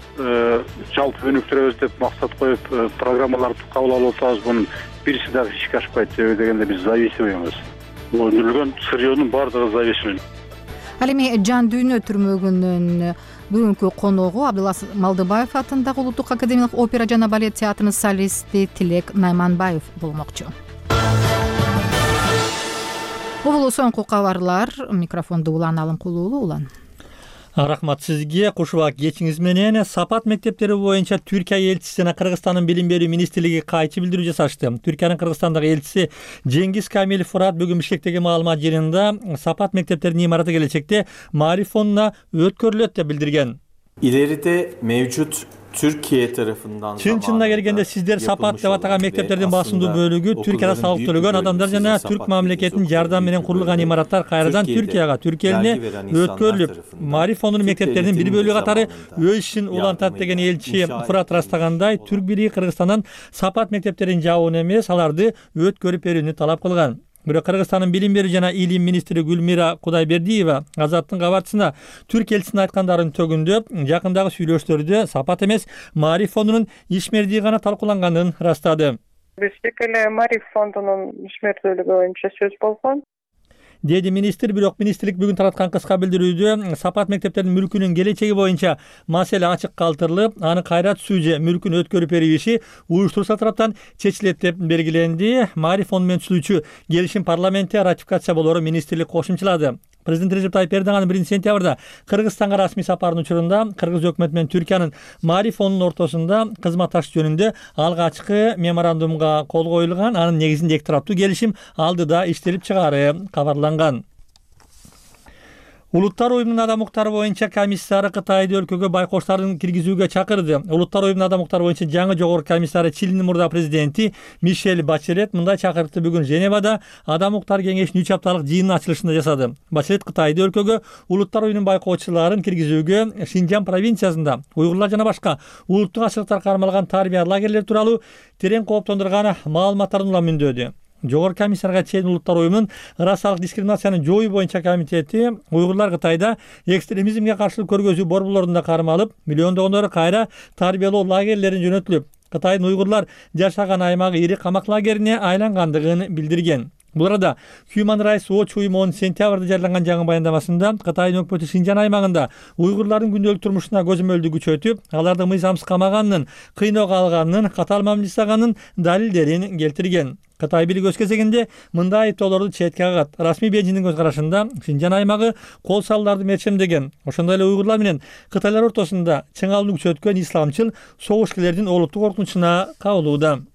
жалпы өнүктүрөбүз деп максат коюп программаларды кабыл алып атабыз. Бунун бирisi дагы ишке ашпайт. Себеби дегенде биз зависимыйбыз. Бул өндүрүлгөн сырьёнун баардыгы зависимый. Ал эми Жан дүйнө түрмөгүнүн бүгүнкү коногу Абдылас Малдыбаев атындагы Улуттук академиялык опера жана балет театрынын солисти Тилек Найманбаев болмокчу. Бул соңку кабарлар. Микрофонду Улан Алымкулуулу. Улан. Рахмат сизге. Кушубак кечиңиз менен Сапат мектептери боюнча Түркия элчиси жана Кыргызстандын билим берүү министрлиги кайчы билдирүү жасашты. Түркиянын Кыргызстандагы элчиси Жеңгиз Камилов Фурат бүгүн Бишкектеги маалымат жыйынында Сапат мектептеринин имараты келечекте Маариф фондуна өткөрүлөт деп билдирген. İleride mevcut Türkiye tarafından Чын чынына келгенде сиздер Сапат деп атаган мектептердин басымдуу бөлүгү Түркияда салык төлөгөн адамдар жана Түрк мамлекетинин жардамы менен курулган имараттар кайрадан Түркияга, Түркия элине өткөрүлүп, Маариф фондунун мектептеринин бир бөлүгү катары өз ишин улантат деген элчи Фурат ырастагандай, Түрк бириги Кыргызстандан Сапат мектептерин жабууну эмес, аларды өткөрүп берүүнү талап кылган. Бирок Кыргызстандын билим берүү жана илим министри Гүлмира Кудайбердиева Азаттын кабарчысына Түрк элчисинин айткандарын төгүндөп, жакындагы сүйлөштөрдө Сапат эмес, Маариф фондунун ишмердиги гана талкууланганын ырастады. Биздик эле Маариф фондунун ишмердүүлүгү боюнча сөз болгон, деди министр. Бирок министрлик бүгүн тараткан кыска билдирүүдө Сапат мектептеринин мүлкүнүн келечеги боюнча маселе ачык калтырылып, аны кайра түзүү же мүлкүн өткөрүп берүү иши уюштуруучу тараптан чечилет деп белгиленди. Маариф фонду менен түзүүчү келишим парламентте ратификация болоору министрлик кошумчалады. Президент Режеп Тайып Эрдоган биринчи сентябрда Кыргызстанга расмий сапарынын учурунда Кыргыз өкмөтү менен Түркиянын Маариф фондунун ортосунда кызматташуу жөнүндө алгачкы меморандумга кол коюлган. Анын негизинде эки тараптуу келишим алдыда иштелип чыгаары кабарланган. Улуттар уюмунун адам укуктары боюнча комиссары Кытайды өлкөгө байкоштарын киргизүүгө чакырды. Улуттар уюмунун адам укуктары боюнча жаңы жогорку комиссары Чилинин мурда президенти Мишель Бачелет мындай чакырыкты бүгүн Женевада адам укуктары кеңешинин үч апталык жыйынынын ачылышында жасады. Бачелет Кытайды өлкөгө улуттар уюмунун байкоочуларын киргизүүгө Шинжан провинциясында уйгурлар жана башка улуттук ачылыктар кармалган тарбия лагерлери тууралуу терең кооптондурган маалыматтарын улам міндөөдү. Жогорку комиссарга чейин улуттар уюмунун расалык дискриминацияны жоюу боюнча комитети уйгурлар Кытайда экстремизмге каршылык көргөзүү борборлорунда кармалып, миллиондогондору кайра тарбиялоо лагерлерин жөнөтүлүп, Кытайдын уйгурлар жашаган аймагы ири камак лагерине айлангандыгын билдирген. Бул арада Human Rights Watch уюму онунчу сентябрда жарыяланган жаңы баяндамасында Кытайдын өкмөтү Шинжан аймагында уйгурлардын күндөлүк турмушуна көзөмөлдү күчөтүп, аларды мыйзамсыз камаганын, кыйноого алганын, катаал мамиле жасаганын далилдерин келтирген. Кытай бийлиги өз кезегинде мындай айыптоолорду четке кагат. Расмий Бейжиңдин көз карашында Шинжан аймагы кол салууларды мерчемдеген. Ошондой эле уйгурлар менен кытайлар ортосунда чыңалууну күчөткөн исламчыл согушкерлердин олуттук коркунучуна кабылууда.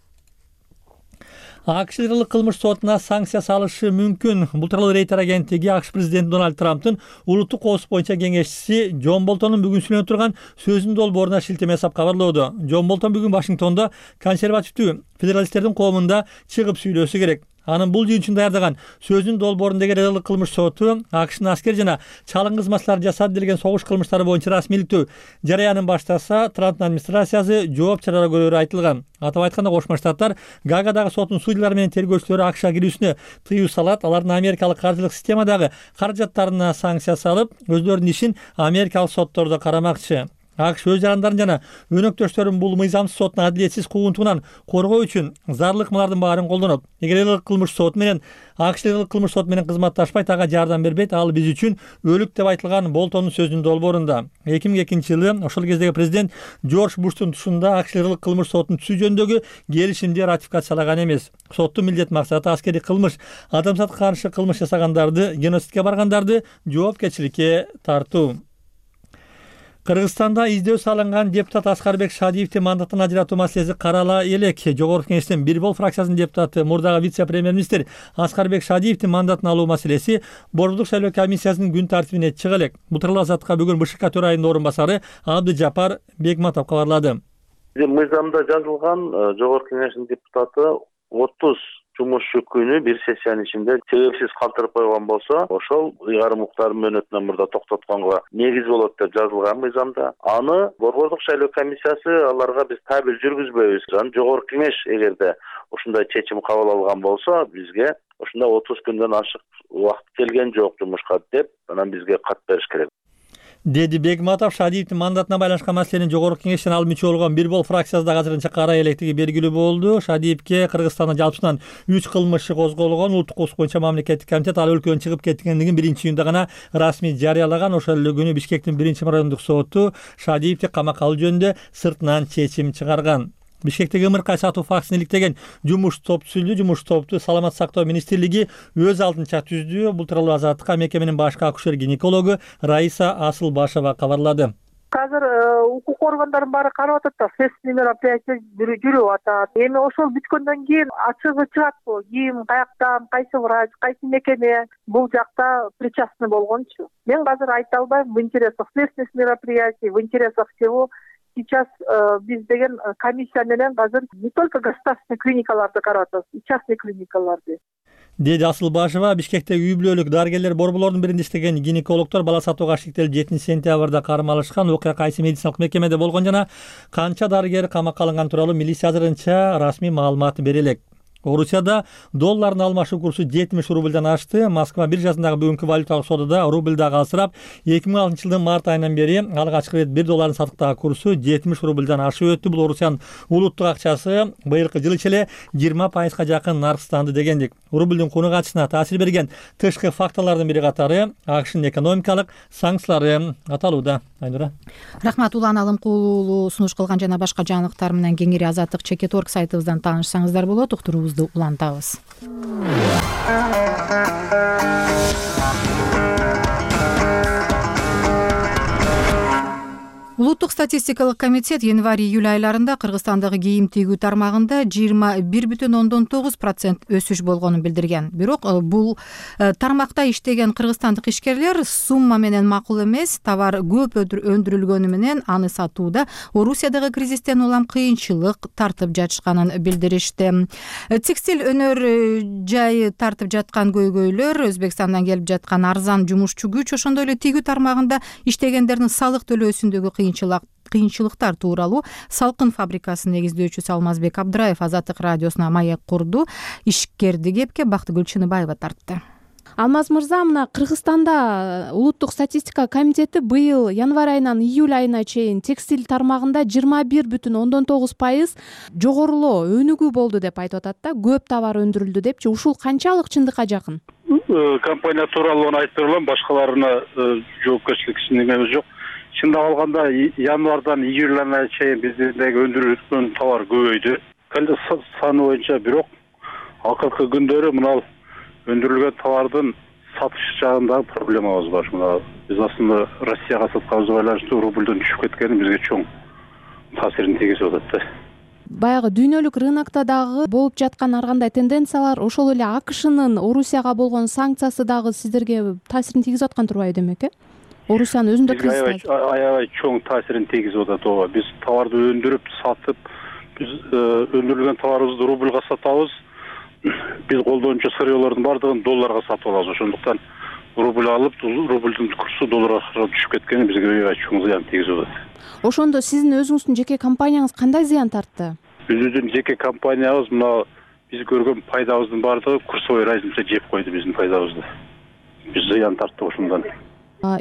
АКШ Ыйгырылык кылмыш сотуна санкция салышы мүмкүн. Бул тууралуу Рейтер агенттиги АКШ президенти Дональд Трамптын улуттук коопсуздук боюнча кеңешчиси Джон Болтондун бүгүн сүйлөнүп турган сөзүнүн долбооруна шилтеме жасап кабарлоодо. Джон Болтон бүгүн Вашингтондо консервативдүү федералисттердин коомунда чыгып сүйлөсү керек. Анын бул жыйынтыгын даярдаган сөзүнүн долбоорундагы Ыйгырылык кылмыш соту АКШнын аскер жана чалым кызматкчылар жасады делген согуш кылмыштары боюнча расмийликтүү жарыянын баштаса, Трамптын администрациясы жооп чаралар көрөрү айтылган. Атап айтканда, Кошмо Штаттар Гаагадагы соттун судьялары менен тергөөчүлөрү АКШга кирүүсүнө тыюу салат, алардын америкалык каржылык системадагы каражаттарына санкция салып, өздөрүнүн ишин америкалык соттордо карамакчы. АКШ өз жарандарын жана өнөктөштөрүн бул мыйзамсыз соттун адилетсиз куугунтугунан коргоо үчүн зарыл ыкмалардын баарын колдонот. Эгер Ыйгырылык кылмыш соту менен АКШ Ыйгырылык кылмыш соту менен кызматташпайт, ага жардам бербейт, ал биз үчүн өлүк деп айтылган Болтондун сөзүнүн долбоорунда. эки миң экинчи жылы ошол кездеги президент Джордж Буштун тушунда АКШ Ыйгырылык кылмыш сотун түзүү жөнүндөгү келишимди ратификациялаган эмес. Соттун милдет максаты аскердик кылмыш, адамзатка каршы кылмыш жасагандарды, геноцидке баргандарды жоопкерчиликке тартуу. Кыргызстанда издөө салынган депутат Аскарбек Шадиевди мандаттан ажыратуу маселеси карала элек. Жогорку Кеңештин бир бол фракциясынын депутаты, мурдагы вице-премьер-министр Аскарбек Шадиевдин мандатын алуу маселеси Борбордук шайлоо комиссиясынын күн тартибине чыга элек. Бул тууралуу Азаттыкка бүгүн БШК төрайымынын орун басары Абдыжапар Бегматов кабарлады. Мыйзамда жазылган Жогорку Кеңештин депутаты отуз жумушчу күнү бир сессиянын ичинде себепсиз калтырып койгон болсо, ошол ыйгарым укуктардын мөөнөтүнөн мурда токтотконго негиз болот деп жазылган мыйзамда. Аны Борбордук шайлоо комиссиясы аларга биз табель жүргүзбөйбүз. Анан Жогорку Кеңеш эгерде ушундай чечим кабыл алган болсо, бизге ушундай отуз күндөн ашык убакыт келген жок жумушка деп, анан бизге кат бериш керек, деди Бегматов. Шадиевдин мандатына байланышкан маселени Жогорку Кеңештен ал мүчө болгон бир бол фракциясы да азырынча карай электиги белгилүү болду. Шадиевге Кыргызстанда жалпысынан үч кылмыш иши козголгон. Улуттук коопсуздук боюнча мамлекеттик комитет ал өлкөдөн чыгып кеткендигин биринчи июнда гана расмий жарыялаган. Ошол эле күнү Бишкектин биринчи райондук соту Шадиевди камакка алуу жөнүндө сыртынан чечим чыгарган. Бишкектеги ымыркай сатуу фактысын иликтеген жумуш топ түзүлдү. Жумуш топту Саламат сактоо министрлиги өз алдынча түздү. Бул тууралуу Азаттыкка мекеменин башкы акушер-гинекологу Раиса Асылбашева кабарлады. Азыр укук органдардын баары карап атат да, следственный мероприятие жүрүп атат. Эми ошол бүткөндөн кийин ачыгы чыгатпы, ким, каяктан, кайсы врач, кайсы мекеме бул жакта причастный болгончу. Мен азыр айта албайм. В интересах следственных мероприятий, в интересах всего сейчас э, биз деген комиссия менен азыр не только государственный клиникаларды карап атабыз, и частный клиникаларды, деди Асылбашева. Бишкектеги үй бүлөлүк дарыгерлер борборлордун биринде иштеген гинекологдор бала сатууга шектелип жетинчи сентябрда кармалышкан. Окуя кайсы медициналык мекемеде болгон жана канча дарыгер камакка алынган тууралуу милиция азырынча расмий маалымат бере элек. Орусияда доллардын алмашуу курсу жетимиш рубльдан ашты. Москва биржасындагы бүгүнкү валюталык содада рубль дагы алсырап, эки миң алтынчы жылдын март айынан бери алгачкы ирет бир доллардын сатыктагы курсу жетимиш рубльдан ашып өттү. Бул Орусиянын улуттук акчасы быйылкы жыл ичи эле жыйырма пайызга жакын наркстанды дегендик. Рубльдин куну качысына таасир берген тышкы факторлордун бири катары АКШнын экономикалык санкциялары аталууда. Айнура. Рахмат. Улан Алымкулуу сунуш кылган жана башка жаңылыктар менен кеңири Азаттык чекит орг сайтыбыздан таанышсаңыздар болот. Уктуруубузду улантабыз. Улуттук статистикалык комитет январь-июль айларында Кыргызстандагы кийим тигүү тармагында жыйырма бир бүтүн ондон тогуз процент өсүш болгонун билдирген. Бирок бул тармакта иштеген кыргызстандык ишкерлер сумма менен макул эмес, товар көп өндүрүлгөнү менен аны сатууда Орусиядагы кризистен улам кыйынчылык тартып жатышканын билдиришти. Текстиль өнөр жайы тартып жаткан көйгөйлөр, Өзбекстандан келип жаткан арзан жумушчу күч, ошондой эле тигүү тармагында иштегендердин салык төлөөсүндөгү кыйынчылыктар тууралуу Салкын фабрикасынын негиздөөчүсү Алмазбек Абдыраев Азаттык радиосуна маек курду. Ишкерди кепке Бактыгүл Чыныбаева тартты. Алмаз мырза, мына Кыргызстанда улуттук статистика комитети быйыл январь айынан июль айына чейин текстиль тармагында жыйырма бир бүтүн ондон тогуз пайыз жогорулоо өнүгүү болду деп айтып атат да, көп товар өндүрүлдү депчи. Ушул канчалык чындыкка жакын? Компания тууралуу айтып берем, башкаларына жоопкерчилик эчиндеги жок. Чындап алганда январдан июль айына чейин биздеги өндүрүлгөн товар көбөйдү. Саны боюнча бирок акыркы күндөрү мына өндүрүлгөн товардын сатыш жагындагы проблемабыз бар. Мына биз аслында Россияга сатканыбызга байланыштуу рубльден түшүп кеткени бизге чоң таасирин тийгизип атат да. баягы дүйнөлүк рынокто дагы болуп жаткан ар кандай тенденциялар, ошол эле АКШнын Орусияга болгон санкциясы дагы сиздерге таасирин тийгизип аткан турбайбы демек, э? Орусиянын өзүндө кризис аябай чоң таасирин тийгизип атат. ооба биз товарды өндүрүп сатып, биз өндүрүлгөн товарыбызды рубльга сатабыз. Биз колдончу сырьёлордун баардыгын долларга сатып алабыз. Ошондуктан рубль алып, рубльдун курсу долларга түшүп кеткени бизге аябай чоң зыян тийгизип атат. Ошондо сиздин өзүңүздүн жеке компанияңыз кандай зыян тартты? Биздин жеке компаниябыз мына биз көргөн пайдабыздын баардыгы курсовой разница жеп койду биздин пайдабызды. Биз зыян тарттык ошондон.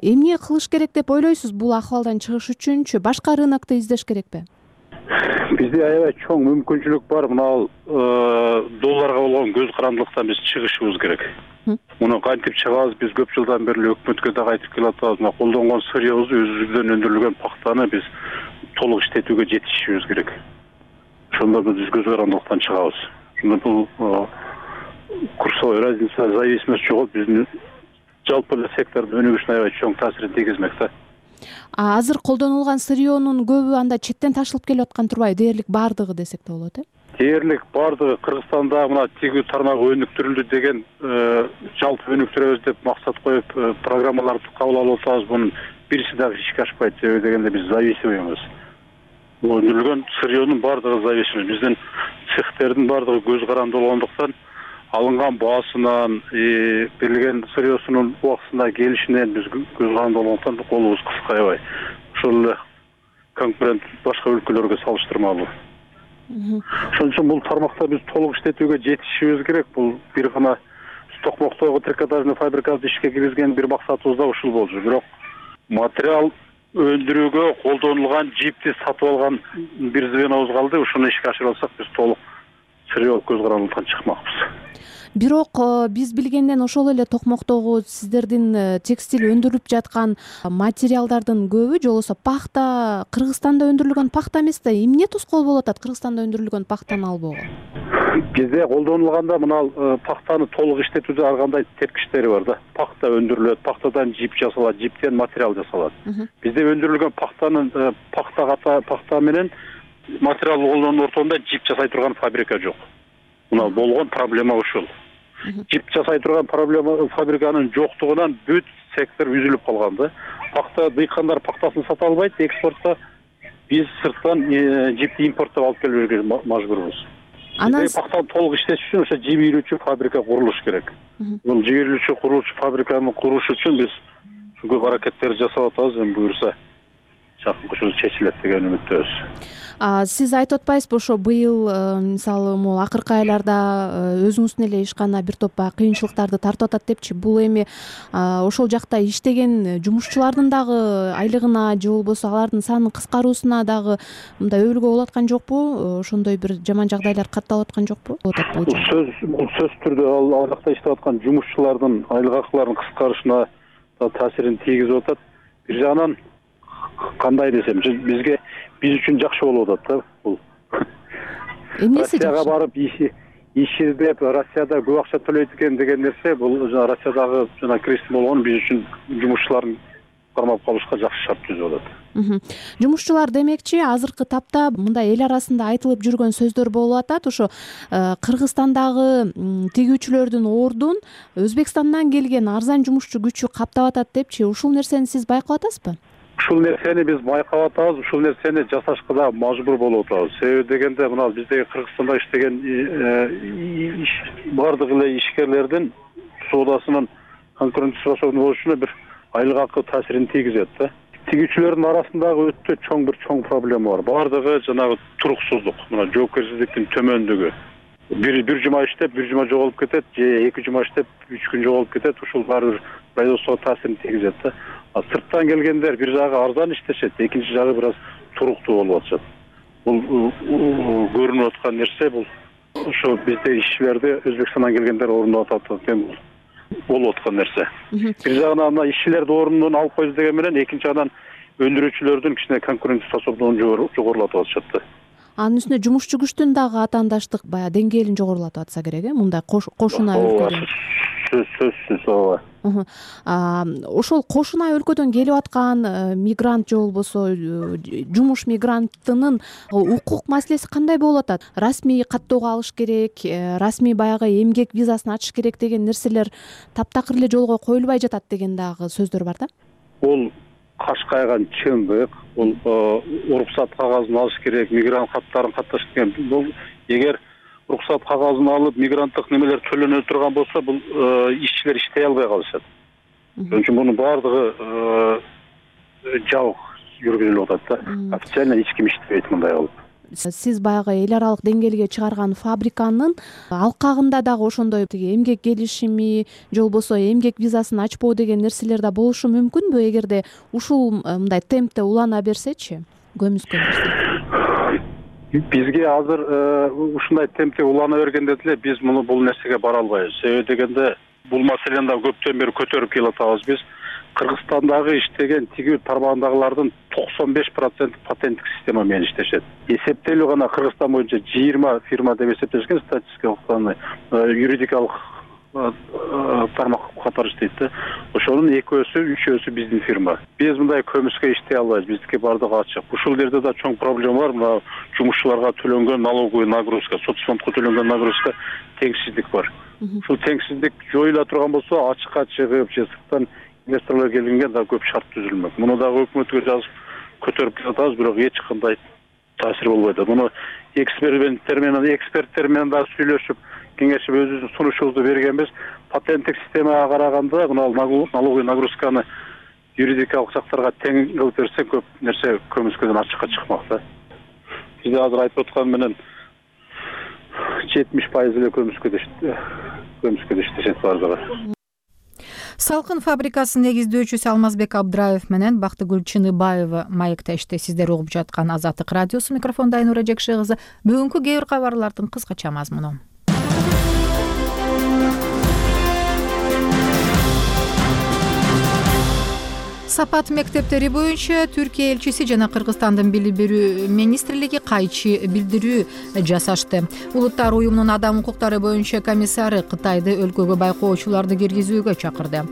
Эмне кылыш керек деп ойлойсуз бул акыбалдан чыгыш үчүнчү? Башка рынокту издеш керекпи? Бизде аябай чоң мүмкүнчүлүк бар. Мына долларга болгон көз карандылыктан биз чыгышыбыз керек. Муну кантип чыгабыз? Биз көп жылдан бери өкмөткө да айтып келатабыз. Мына колдонгон сырьёбузду өзүбүздөн өндүрүлгөн пахтаны биз толук иштетүүгө жетишибиз керек. Ошондо биз көз карандылыктан чыгабыз. Ошондо бул курсовой разница, зависимость жоготуп биздин жалпы эле сектордун өнүгүшүнө аябай чоң таасирин тийгизмек да. А азыр колдонулган сырьёнун көбү анда четтен ташылып келип аткан турбайбы? Дээрлик баардыгы десек да болот, э? Дээрлик баардыгы Кыргызстанда мына тигүү тармагы өнүктүрүлдү деген жалпы өнүктүрөбүз деп максат коюп программаларды кабыл алып атабыз. Бунун бирси дагы ишке ашпайт. Себеби дегенде биз зависимыйбыз. Бул өндүрүлгөн сырьёнун баардыгы зависимый. Биздин цехтердин баардыгы көз каранды болгондуктан алынган баасынан, берилген сырьёсунун убактысында келишинен биз көз каранды болгондуктан колубуз кыска аябай. Ошол эле конкурент башка өлкөлөргө салыштырмалуу. Ошон үчүн бул тармакта биз толук иштетүүгө жетишибиз керек. Бул бир гана токмоктогу трикотажный фабрикабызды ишке киргизген бир максатыбыз да ушул болчу. Бирок материал өндүрүүгө колдонулган жипти сатып алган бир звенобуз калды. Ушуну ишке ашырып алсак биз толук сырьё көз карандылыктан чыкмакпыз. Бирок биз билгенден ошол эле токмоктогу сиздердин текстиль өндүрүлүп жаткан материалдардын көбү, же болбосо пахта Кыргызстанда өндүрүлгөн пахта эмес да, эмне тоскоол болуп атат Кыргызстанда өндүрүлгөн пахтаны албоого? Бизде колдонулганда мына пахтаны толук иштетүүдө ар кандай тепкичтери бар да. Пахта өндүрүлөт, пахтадан жип жасалат, жиптен материал жасалат. Бизде өндүрүлгөн пахтанын пахта пахта менен материал колдонуунун ортосунда жип жасай турган фабрика жок. Мына болгон проблема ушул. Жип жасай турган проблема фабриканын жоктугунан бүт сектор үзүлүп калган да. Пахта дыйкандар пахтасын сата албайт, экспортко биз сырттан жипти импорттоп алып келүүгө мажбурбуз. Анан пахтаны толук иштетиш үчүн ошо жип ийрүүчү фабрика курулуш керек. Бул жип ийрүүчү курулуш фабриканы куруш үчүн биз көп аракеттерди жасап атабыз. Эми буюрса жакын ушул чечилет деген үмүттөбүз. Сиз айтып атпайсызбы, ошо быйыл мисалы могу акыркы айларда өзүңүздүн эле ишкана бир топ баягы кыйынчылыктарды тартып атат депчи. Бул эми ошол жакта иштеген жумушчулардын дагы айлыгына же болбосо алардын санынын кыскаруусуна дагы мындай өбүлгө болуп аткан жокпу? Ошондой бир жаман жагдайлар катталып аткан жокпу? Бул сөз бул сөз түрдө ал жакта иштеп аткан жумушчулардын айлык акыларынын кыскарышына таасирин тийгизип атат. Бир жагынан кандай десем, бизге биз үчүн жакшы болуп атат да бул. Эмнеси жакшы? Россияга барып иш издеп, Россияда көп акча төлөйт экен деген нерсе, бул Россиядагы жана кризис болгон биз үчүн жумушчулардын кармап калышка жакшы шарт түзүп атат. Жумушчулар демекчи, азыркы тапта мындай эл арасында айтылып жүргөн сөздөр болуп атат. Ошо Кыргызстандагы тигүүчүлөрдүн ордун Өзбекстандан келген арзан жумушчу күчү каптап атат депчи. Ушул нерсени сиз байкап атасызбы? Ушул нерсени биз байкап атабыз, ушул нерсени жасашка да мажбур болуп атабыз. Себеби дегенде мына биздеги Кыргызстанда иштеген бардык эле ишкерлердин соодасынын конкуренттик способдуу болушуна бир айлык акы таасирин тийгизет да. Тигүүчүлөрдүн арасындагы өтө чоң бир чоң проблема бар. Бардыгы жанагы туруксуздук, мына жоопкерчиликтин төмөндүгү. Бир бир жума иштеп, бир жума жоголуп кетет, же эки жума иштеп, үч күн жоголуп кетет. Ушул баары бир производствого таасирин тийгизет да. А сырттан келгендер бир жагы арзан иштешет, экинчи жагы бир аз туруктуу болуп атышат. Бул көрүнүп аткан нерсе, бул ошо бизде ишчилерди Өзбекстандан келгендер орундап атат экен, болуп аткан нерсе. Бир жагынан мына ишчилерди ордунан алып койду деген менен, экинчи жагынан өндүрүүчүлөрдүн кичине конкуренттик способдугун жогорулатып атышат да. Анын үстүнө жумушчу күчтүн дагы атаандаштык баягы деңгээлин жогорулатып атса керек, э? Мындай кошуна өлкөдө. сөзсүз ооба. Ошол кошуна өлкөдөн келип аткан мигрант же болбосо жумуш мигрантынын укук маселеси кандай болуп атат? Расмий каттоого алыш керек, расмий баягы эмгек визасын ачыш керек деген нерселер таптакыр эле жолго коюлбай жатат деген дагы сөздөр бар да. Бул каш кайган чындык. Бул уруксат кагазын алыш керек, мигрант каттарын катташ керек. Бул эгер уруксат кагазын алып, мигранттык немелер төлөнө турган болсо, бул ишчилер иштей албай калышат. Ошон үчүн мунун баардыгы жабык жүргүзүлүп атат да. Официально эч ким иштебейт мындай кылып. Сиз баягы эл аралык деңгээлге чыгарган фабриканын алкагында дагы ошондой тиги эмгек келишими же болбосо эмгек визасын ачпоо деген нерселер да болушу мүмкүнбү эгерде ушул мындай темпте улана берсечи, көмүскө берсе? Бизге азыр ушундай темпте улана бергенде деле биз муну бул нерсеге бара албайбыз. Себеби дегенде бул маселени да көптөн бери көтөрүп келатабыз биз. Кыргызстандагы иштеген тигүү тармагындагылардын токсон беш проценти патенттик система менен иштешет. Эсептелүү гана Кыргызстан боюнча жыйырма фирма деп эсептешкен статистикалык юридикалык тармак катары иштейт да. Ошонун экөөсү, үчөөсү биздин фирма. Биз мындай көмүскө иштей албайбыз. Биздики бардыгы ачык. Ушул жерде да чоң проблема бар. Мына жумушчуларга төлөнгөн налоговый нагрузка, соцфондко төлөнгөн нагрузка теңсиздик бар. Ушул теңсиздик жоюла турган болсо, ачыкка чыгып, же сырттан инвесторлор келгенге да көп шарт түзүлмөк. Муну дагы өкмөткө жазып көтөрүп келатабыз, бирок эч кандай таасир болбой атат. Муну эксперименттер менен, эксперттер менен да сүйлөшүп, кеңешип өзүбүздүн сунушубузду бергенбиз. Патенттик системага караганда мына налоговый нагрузканы юридикалык жактарга тең кылып берсе, көп нерсе көмүскөдөн ачыкка чыкмак да. Бизде азыр айтып аткан менен жетимиш пайыз эле көмүскөдө көмүскөдө иштешет бардыгы. Салкын фабрикасынын негиздөөчүсү Алмазбек Абдраев менен Бактыгүл Чыныбаева маектешти. Сиздер угуп жаткан Азаттык радиосу, микрофондо Айнура Жекше кызы. Бүгүнкү кээ бир кабарлардын кыскача мазмуну. Сапат мектептери боюнча Түркия элчиси жана Кыргызстандын билим берүү министрлиги кайчы билдирүү жасашты. Улуттар уюмунун адам укуктары боюнча комиссары Кытайды өлкөгө байкоочуларды киргизүүгө чакырды.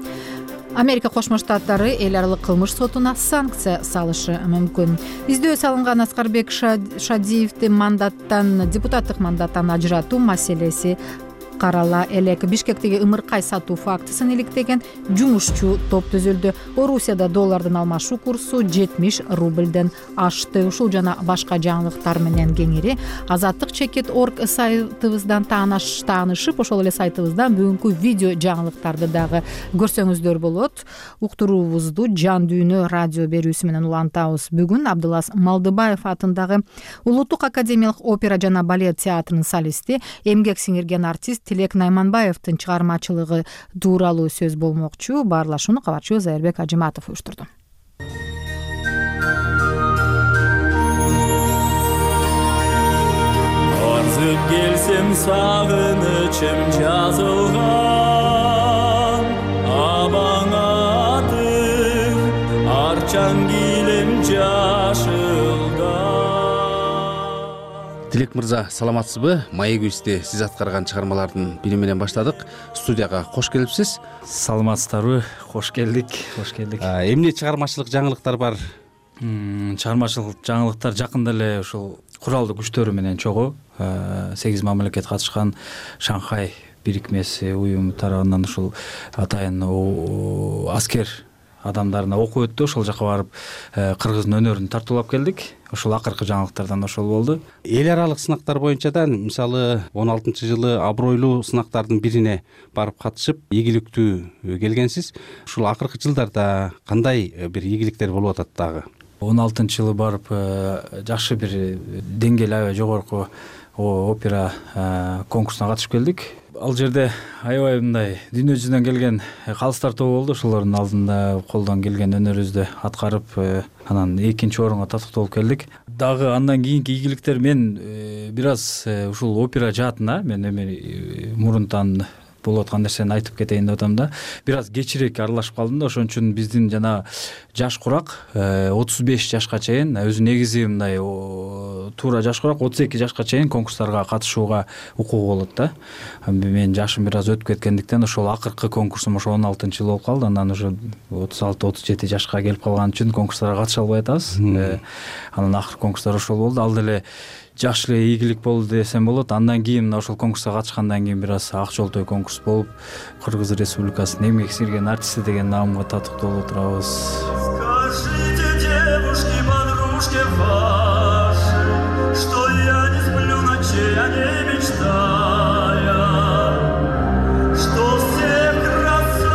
Америка Кошмо Штаттары эл аралык кылмыш сотуна санкция салышы мүмкүн. Издөө салынган Аскарбек Шадиевди мандаттан, депутаттык мандаттан ажыратуу маселеси карала элек. Бишкектеги ымыркай сатуу фактысын иликтеген жумушчу топ түзүлдү. Орусияда доллардын алмашуу курсу жетимиш рубльден ашты. Ушул жана башка жаңылыктар менен кеңири азаттык чекит точка орг сайтыбыздан таанышып, ошол эле сайтыбыздан бүгүнкү видео жаңылыктарды дагы көрсөңүздөр болот. Уктуруубузду жан дүйнө радио берүүсү менен улантабыз. Бүгүн Абдылас Малдыбаев атындагы Улуттук академиялык опера жана балет театрынын солисти, эмгек сиңирген артист Тилек Найманбаевдин чыгармачылыгы тууралуу сөз болмокчу. Баарлашууну кабарчыбыз Айырбек Ажыматов уюштурду. Арзып келсем сагынычым жазылган, абаңатым арчаң килем жашылган. Тилек мырза, саламатсызбы? Маегибизде сиз аткарган чыгармалардын бири менен баштадык. Студияга кош келипсиз. Саламатсыздарбы? Кош келдик. Кош келдик. Эмне чыгармачылык жаңылыктар бар? Чыгармачылык жаңылыктар жакында эле ушул куралдуу күчтөрү менен чогуу сегиз мамлекет катышкан Шанхай бирикмеси уюму тарабынан ушул атайын аскер адамдарына окуу өттү. Ошол жака барып кыргыздын өнөрүн тартуулап келдик. Ошол акыркы жаңылыктардан ошол болду. Эл аралык сынактар боюнча да, мисалы он алтынчы жылы абройлуу сынактардын бирине барып катышып, ийгиликтүү келгенсиз. Ушул акыркы жылдарда кандай бир ийгиликтер болуп атат дагы? он алтынчы жылы барып жакшы бир деңгээл аябай жогорку опера конкурсуна катышып келдик. Ал жерде аябай мындай дүйнө жүзүнөн келген калыстар тобу болду. Ошолордун алдында колдон келген өнөрүбүздү аткарып, анан экинчи орунга татыкталып келдик. Дагы андан кийинки ийгиликтер, мен бир аз ушул опера жаатына, мен эми мурунтан болуп аткан нерсени айтып кетейин деп атам да. Бир аз кечирээк аралашып калдым да, ошон үчүн биздин жана жаш курак отуз беш жашка чейин, өзү негизи мындай туура жаш курак отуз эки жашка чейин конкурстарга катышууга укугу болот да. Менин жашым бир аз өтүп кеткендиктен ошол акыркы конкурсум ошо он алтынчы жылы болуп калды. Андан уже отуз алты отуз жети жашка келип калган үчүн конкурстарга катыша албай атабыз. Анан акыркы конкурстар ошол болду. Ал деле жакшы эле ийгилик болду десем болот. Андан кийин мына ошол конкурска катышкандан кийин бир аз ак жолтой конкурс болуп, Кыргыз Республикасынын эмгек сиңирген артисти деген наамга татыктуу болуп отурабыз. Скажите, девушки, подружки ваши, что я не сплю ночей, я не мечтая, что всех красавиц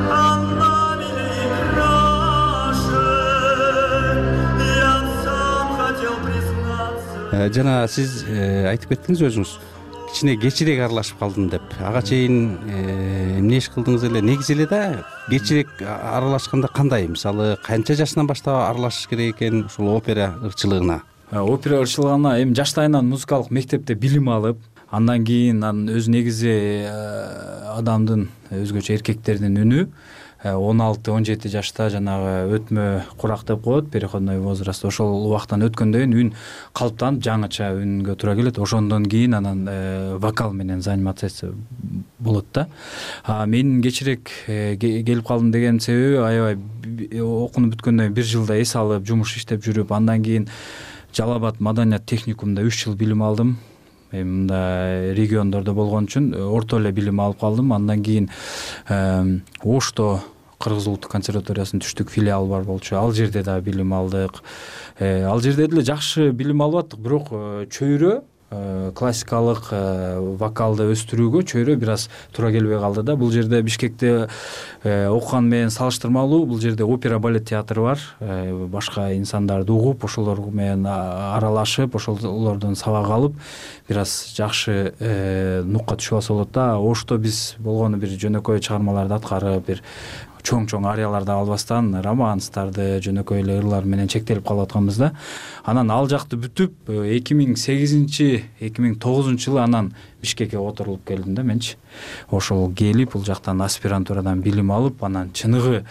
одна милее краше. Я сам хотел признаться. Жана сиз айтып кеттиңиз өзүңүз, кичине кечирээк аралашып калдым деп. Ага чейин эмне иш кылдыңыз эле? Негизи эле да кечирээк аралашканда кандай? Мисалы, канча жашынан баштап аралашыш керек экен ушул опера ырчылыгына? Опера ырчылыгына эми жаштайынан музыкалык мектепте билим алып, андан кийин анын өз негизи адамдын, өзгөчө эркектердин үнү он алты он жети жашта жанагы өтмө курак деп коет, переходной возраст. Ошол убактан өткөндөн кийин үн калыптанып жаңыча үнгө туура келет. Ошондон кийин анан вокал менен заниматься болот да. Мен кечирээк келип калдым деген себеби, аябай окунуп бүткөндөн бир жылда эс алып, жумуш иштеп жүрүп, андан кийин Жалал Абад маданият техникумунда үч жыл билим алдым. Эми мында региондордо болгон үчүн орто эле билим алып калдым. Андан кийин Ошто Кыргыз улуттук консерваториясынын түштүк филиалы бар болчу. Ал жерде да билим алдык. Ал жерде деле жакшы билим алып аттык, бирок чөйрө классикалык вокалды өстүрүүгө чөйрө бир аз туура келбей калды да. Бул жерде Бишкекте окуган менен салыштырмалуу, бул жерде опера балет театры бар. Башка инсандарды угуп, ошолор менен аралашып, ошолордон сабак алып, бир аз жакшы нукка түшүп алса болот да. Ошто биз болгону бир жөнөкөй чыгармаларды аткарып, бир чоң-чоң арияларды албастан романстарды, жөнөкөй эле ырлар менен чектелип калып атканбыз да. Анан ал жакты бүтүп эки миң сегизинчи эки миң тогузунчу жылы анан Бишкекке которулуп келдим да менчи. Ошол келип, бул жактан аспирантурадан билим алып, анан чыныгы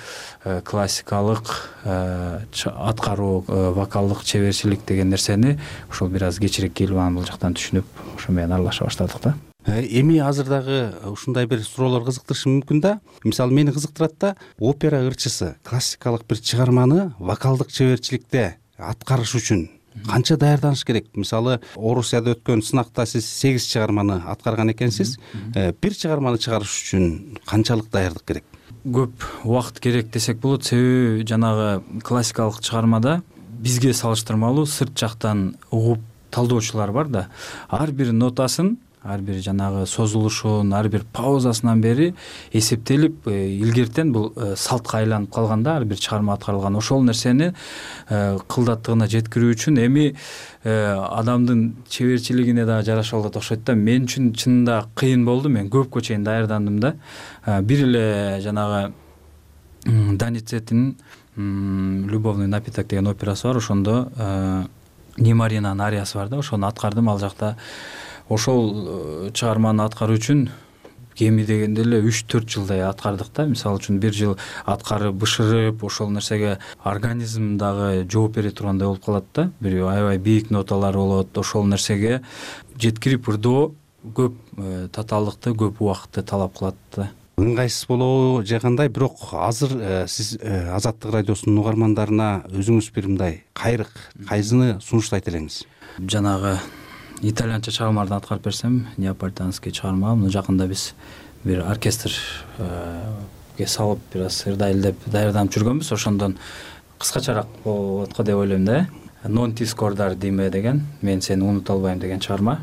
классикалык аткаруу, вокалдык чеберчилик деген нерсени ошол бир аз кечирээк келип анан бул жактан түшүнүп, ошо менен аралаша баштадык да. Эми азыр дагы ушундай бир суроолор кызыктырышы мүмкүн да. Мисалы, мени кызыктырат да, опера ырчысы классикалык бир чыгарманы вокалдык чеберчиликте аткарыш үчүн канча даярданыш керек? Мисалы, Орусияда өткөн сынакта сиз сегиз чыгарманы аткарган экенсиз. Бир чыгарманы чыгарыш үчүн канчалык даярдык керек? Көп убакыт керек десек болот. Себеби жанагы классикалык чыгармада бизге салыштырмалуу сырт жактан угуп талдоочулар бар да. Ар бир нотасын, ар бир жанагы созулушун, ар бир паузасынан бери эсептелип, илгертен бул салтка айланып калганда ар бир чыгарма аткарылган. Ошол нерсени кылдаттыгына жеткирүү үчүн эми адамдын чеберчилигине да жараша болот окшойт да. Мен үчүн чынында кыйын болду. Мен көпкө чейин даярдандым да. Бир эле жанагы Даницеттин «Любовный напиток» деген операсы бар. Ошондо Немаринанын ариясы бар да. Ошону аткардым ал жакта. Ошол чыгарманы аткаруу үчүн кеми дегенде эле үч төрт жылдай аткардык да. Мисалы үчүн бир жыл аткарып, бышырып, ошол нерсеге организм дагы жооп бере тургандай болуп калат да. Бир аябай бийик ноталар болот. Ошол нерсеге жеткирип ырдоо көп татаалдыкты, көп убакытты талап кылат да. Ыңгайсыз болобу же кандай? Бирок азыр сиз Азаттык радиосунун угармандарына өзүңүз бир мындай кайрык, кайсыны сунуштайт элеңиз? Жанагы итальянча чыгармаларды аткарып берсем, неаполитанский чыгарма. Муну жакында биз бир оркестрге салып, бир аз ырдай элдеп даярданып жүргөнбүз. Ошондон кыскачараак болот го деп ойлойм да. Non ti scordar di me деген, мен сени унута албайм деген чыгарма.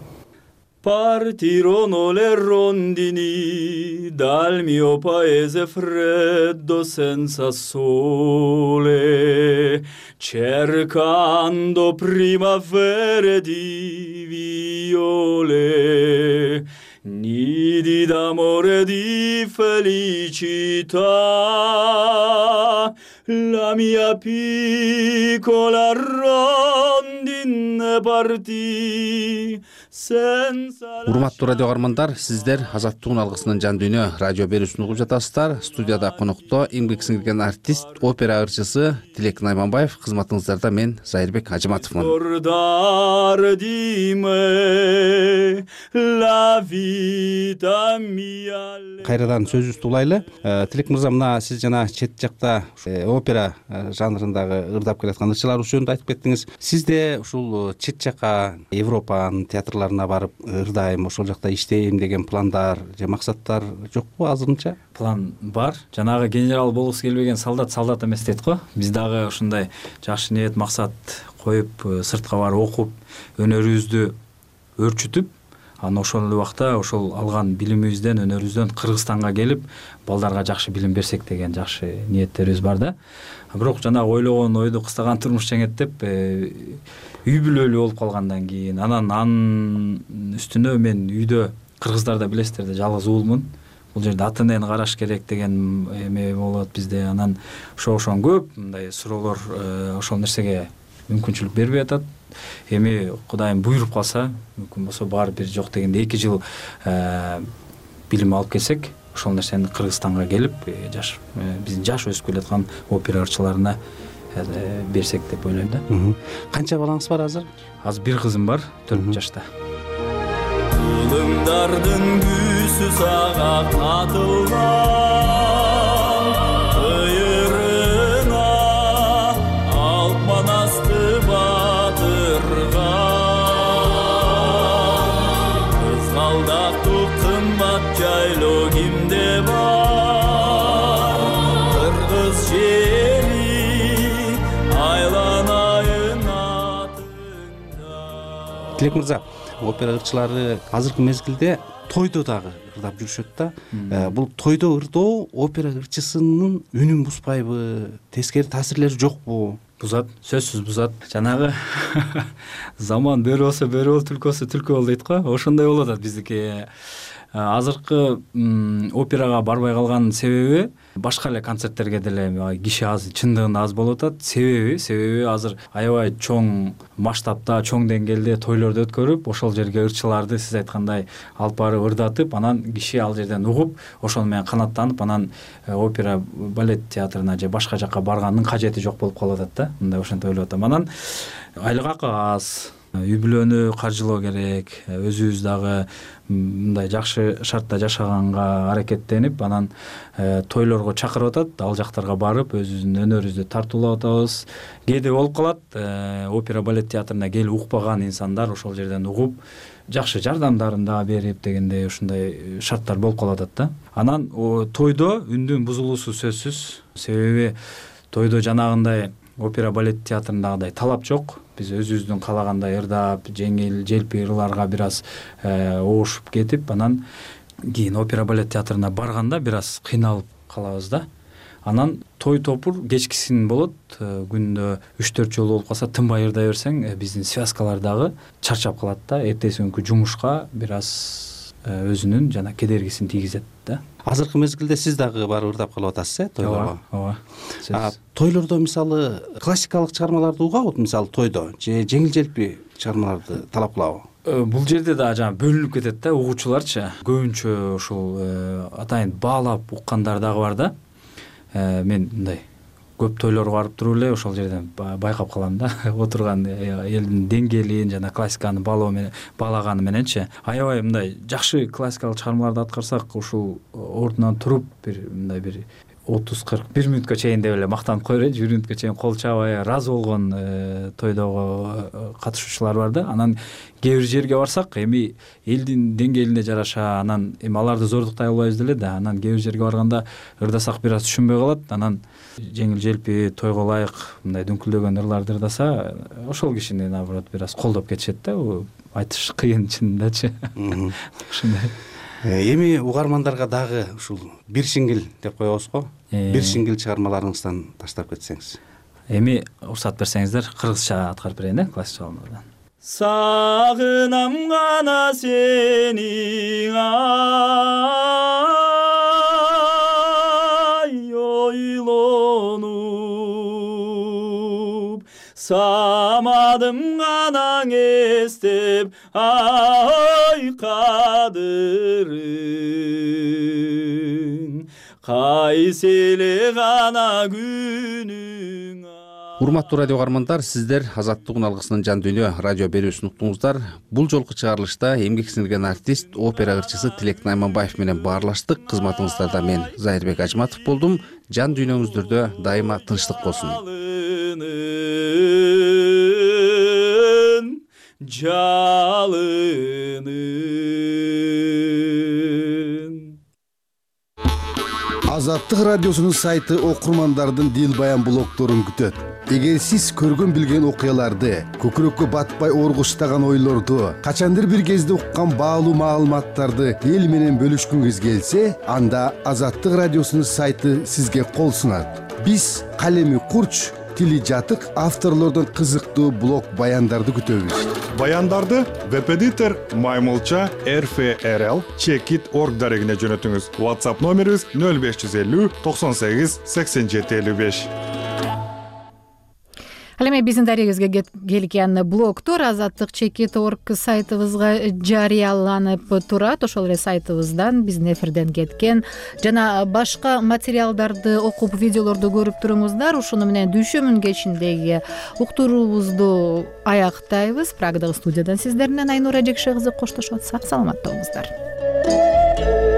Partirono le rondini dal mio paese freddo senza sole, cercando primavere di viole, nidi d'amore e di felicità, la mia piccola rondine partì senza. Урматтуу радио каармандар, сиздер Азаттыктын алгысынын жан дүйнө радио берүүсүн угуп жатасыздар. Студияда конокто эмгек сиңирген артист, опера ырчысы Тилек Найманбаев, кызматыңыздарда мен Зайырбек Ажыматовмун. Кайрадан сөзүбүздү улайлы. Тилек мырза, мына сиз жана чет жакта опера жанрындагы ырдап келаткан ырчылар жөнүндө айтып кеттиңиз. Сизде ушул чет жакка Европанын театрларына барып ырдайм, ошол жакта иштейм деген пландар же максаттар жокпу азырынча? План бар. Жанагы генерал болгусу келбеген солдат солдат эмес дейт го. Биз дагы ушундай жакшы ниет, максат коюп, сыртка барып окуп, өнөрүбүздү өрчүтүп, анан ошол убакта ошол алган билимибизден, өнөрүбүздөн Кыргызстанга келип, балдарга жакшы билим берсек деген жакшы ниеттерибиз бар да. Бирок жанагы ойлогон ойду кыстаган турмуш жеңеттеп, үй бүлөлүү болуп калгандан кийин, анан анын үстүнө мен үйдө, кыргыздарда билесиздер да, жалгыз уулмун. Бул жерде ата энени караш керек деген эме болот бизде. Анан ошо-ошон көп мындай суроолор ошол нерсеге мүмкүнчүлүк бербей атат. Эми Кудайым буйруп калса, мүмкүн болсо бар бир жок дегенде эки жыл билим алып келсек, ошол нерсени Кыргызстанга келип, жаш биздин жаш өсүп келаткан опера ырчыларына берсек деп ойлойм да. Канча балаңыз бар азыр? Азыр бир кызым бар, төрт жашта. Кылымдардын күсү сага катылган, ыйырына алп манасты батырган. Кызгалдактуу кымбат жайлоо кимде бар, кыргыз жери айланайын атыңда. Тилек мырза, опера ырчылары азыркы мезгилде тойдо дагы ырдап жүрүшөт да. Бул тойдо ырдоо опера ырчысынын үнүн бузбайбы, тескери таасирлери жокпу? Бузат, сөзсүз бузат. Жанагы заман бери болсо бери бол, түлкү болсо түлкү бол дейт го. Ошондой болуп атат биздики. Азыркы операга барбай калган себеби башка эле концерттерге деле киши аз, чындыгында аз болуп атат. Себеби, себеби азыр аябай чоң масштабта, чоң деңгээлде тойлорду өткөрүп, ошол жерге ырчыларды сиз айткандай алып барып ырдатып, анан киши ал жерден угуп, ошону менен канаттанып, анан опера балет театрына же башка жакка барганын кажети жок болуп калып атат да. Мындай ошентип ойлоп атам. Анан айлык акы аз, үй бүлөнү каржылоо керек, өзүбүз дагы мындай жакшы шартта жашаганга аракеттенип, анан тойлорго чакырып атат, ал жактарга барып, өзүбүздүн өнөрүбүздү тартуулап атабыз. Кээде болуп калат, опера балет театрына келип укпаган инсандар ошол жерден угуп, жакшы жардамдарын да берип дегендей ушундай шарттар болуп калып атат да. Анан тойдо үндүн бузулуусу сөзсүз. Себеби тойдо жанагындай опера балет театрындагыдай талап жок. Биз өзүбүздүн каалагандай ырдап, жеңил, желпи ырларга бир аз оошуп кетип, анан кийин опера балет театрына барганда бир аз кыйналып калабыз да. Анан той топур кечкисин болот, күндө үч төрт жолу болуп калса, тынбай ырдай берсең, биздин связкалар дагы чарчап калат да. Эртеси күнкү жумушка бир аз өзүнүн жана кедергисин тийгизет да. Азыркы мезгилде сиз дагы барып ырдап калып атасыз, э, тойлорго? Ооба. Тойлордо мисалы классикалык чыгармаларды угабы, мисалы тойдо, же жеңил желпи чыгармаларды талап кылабы? Бул жерде да жана бөлүнүп кетет да, угуучуларчы. Көбүнчө ушул атайын баалап уккандар дагы бар да. Мен мындай көп тойлорго барып туруп эле ошол жерден байкап калам да. Отурган элдин деңгээлин жана классиканы баалоо менен баалаганы мененчи. Аябай мындай жакшы классикалык чыгармаларды аткарсак, ушул ордунан туруп бир мындай бир отуз кырк бир мүнөткө чейин деп эле мактанып коелу, бир мүнөткө чейин кол чаабай ыраазы болгон тойдогу катышуучулар бар да. Анан кээ бир жерге барсак, эми элдин деңгээлине жараша, анан эми аларды зордуктай албайбыз деле да. Анан кээ бир жерге барганда ырдасак бир аз түшүнбөй калат. Анан жеңил желпи, тойго ылайык мындай дүңкүлдөгөн ырларды ырдаса, ошол кишини наоборот бир аз колдоп кетишет да. Айтыш кыйын чынындачы. Ушундай. Эми угармандарга дагы ушул бир сиңгил деп коебуз го. Бир сиңгил чыгармаларыңыздан таштап кетсеңиз. Эми уруксат берсеңиздер, кыргызча аткарып берейин, э, классик чыгармалардан. Сагынам гана сени ай ойлонуп самадым гана эстеп ай кадырын кайсы эле гана күнүң. Урматтуу радио каармандар, сиздер Азаттык үналгысынын жан дүйнө радио берүүсүн уктуңуздар. Бул жолку чыгарылышта эмгек сиңирген артист, опера ырчысы Тилек Найманбаев менен баарлаштык. Кызматыңыздарда мен Зайырбек Ажматов болдум. Жан дүйнөңүздөрдө дайыма тынчтык болсун. Азаттык радиосунун сайты окурмандардын дил баян блогторун күтөт. Эгер сиз көргөн билген окуяларды, көкүрөккө батпай оргуштаган ойлорду, качандыр бир кезде уккан баалуу маалыматтарды эл менен бөлүшкүңүз келсе, анда Азаттык радиосунун сайты сизге кол сунат. Биз калеми курч, тили жатык авторлордун кызыктуу блог баяндарды күтөбүз. Баяндарды веб-эдитор Маймылча эр эф эр эл чекит точка орг дарегине жөнөтүңүз. WhatsApp номерибиз нөл беш жүз элүү токсон сегиз сексен жети элүү беш. Ал эми биздин дарегибизге келген блогтор азаттык чекит точка орг сайтыбызга жарыяланып турат. Ошол эле сайтыбыздан биздин эфирден кеткен жана башка материалдарды окуп, видеолорду көрүп туруңуздар. Ушуну менен дүйшөмүн кечиндеги уктуруубузду аяктайбыз. Прагадагы студиядан сиздер менен Айнура Жекше кызы коштошот. Сак саламатта болуңуздар.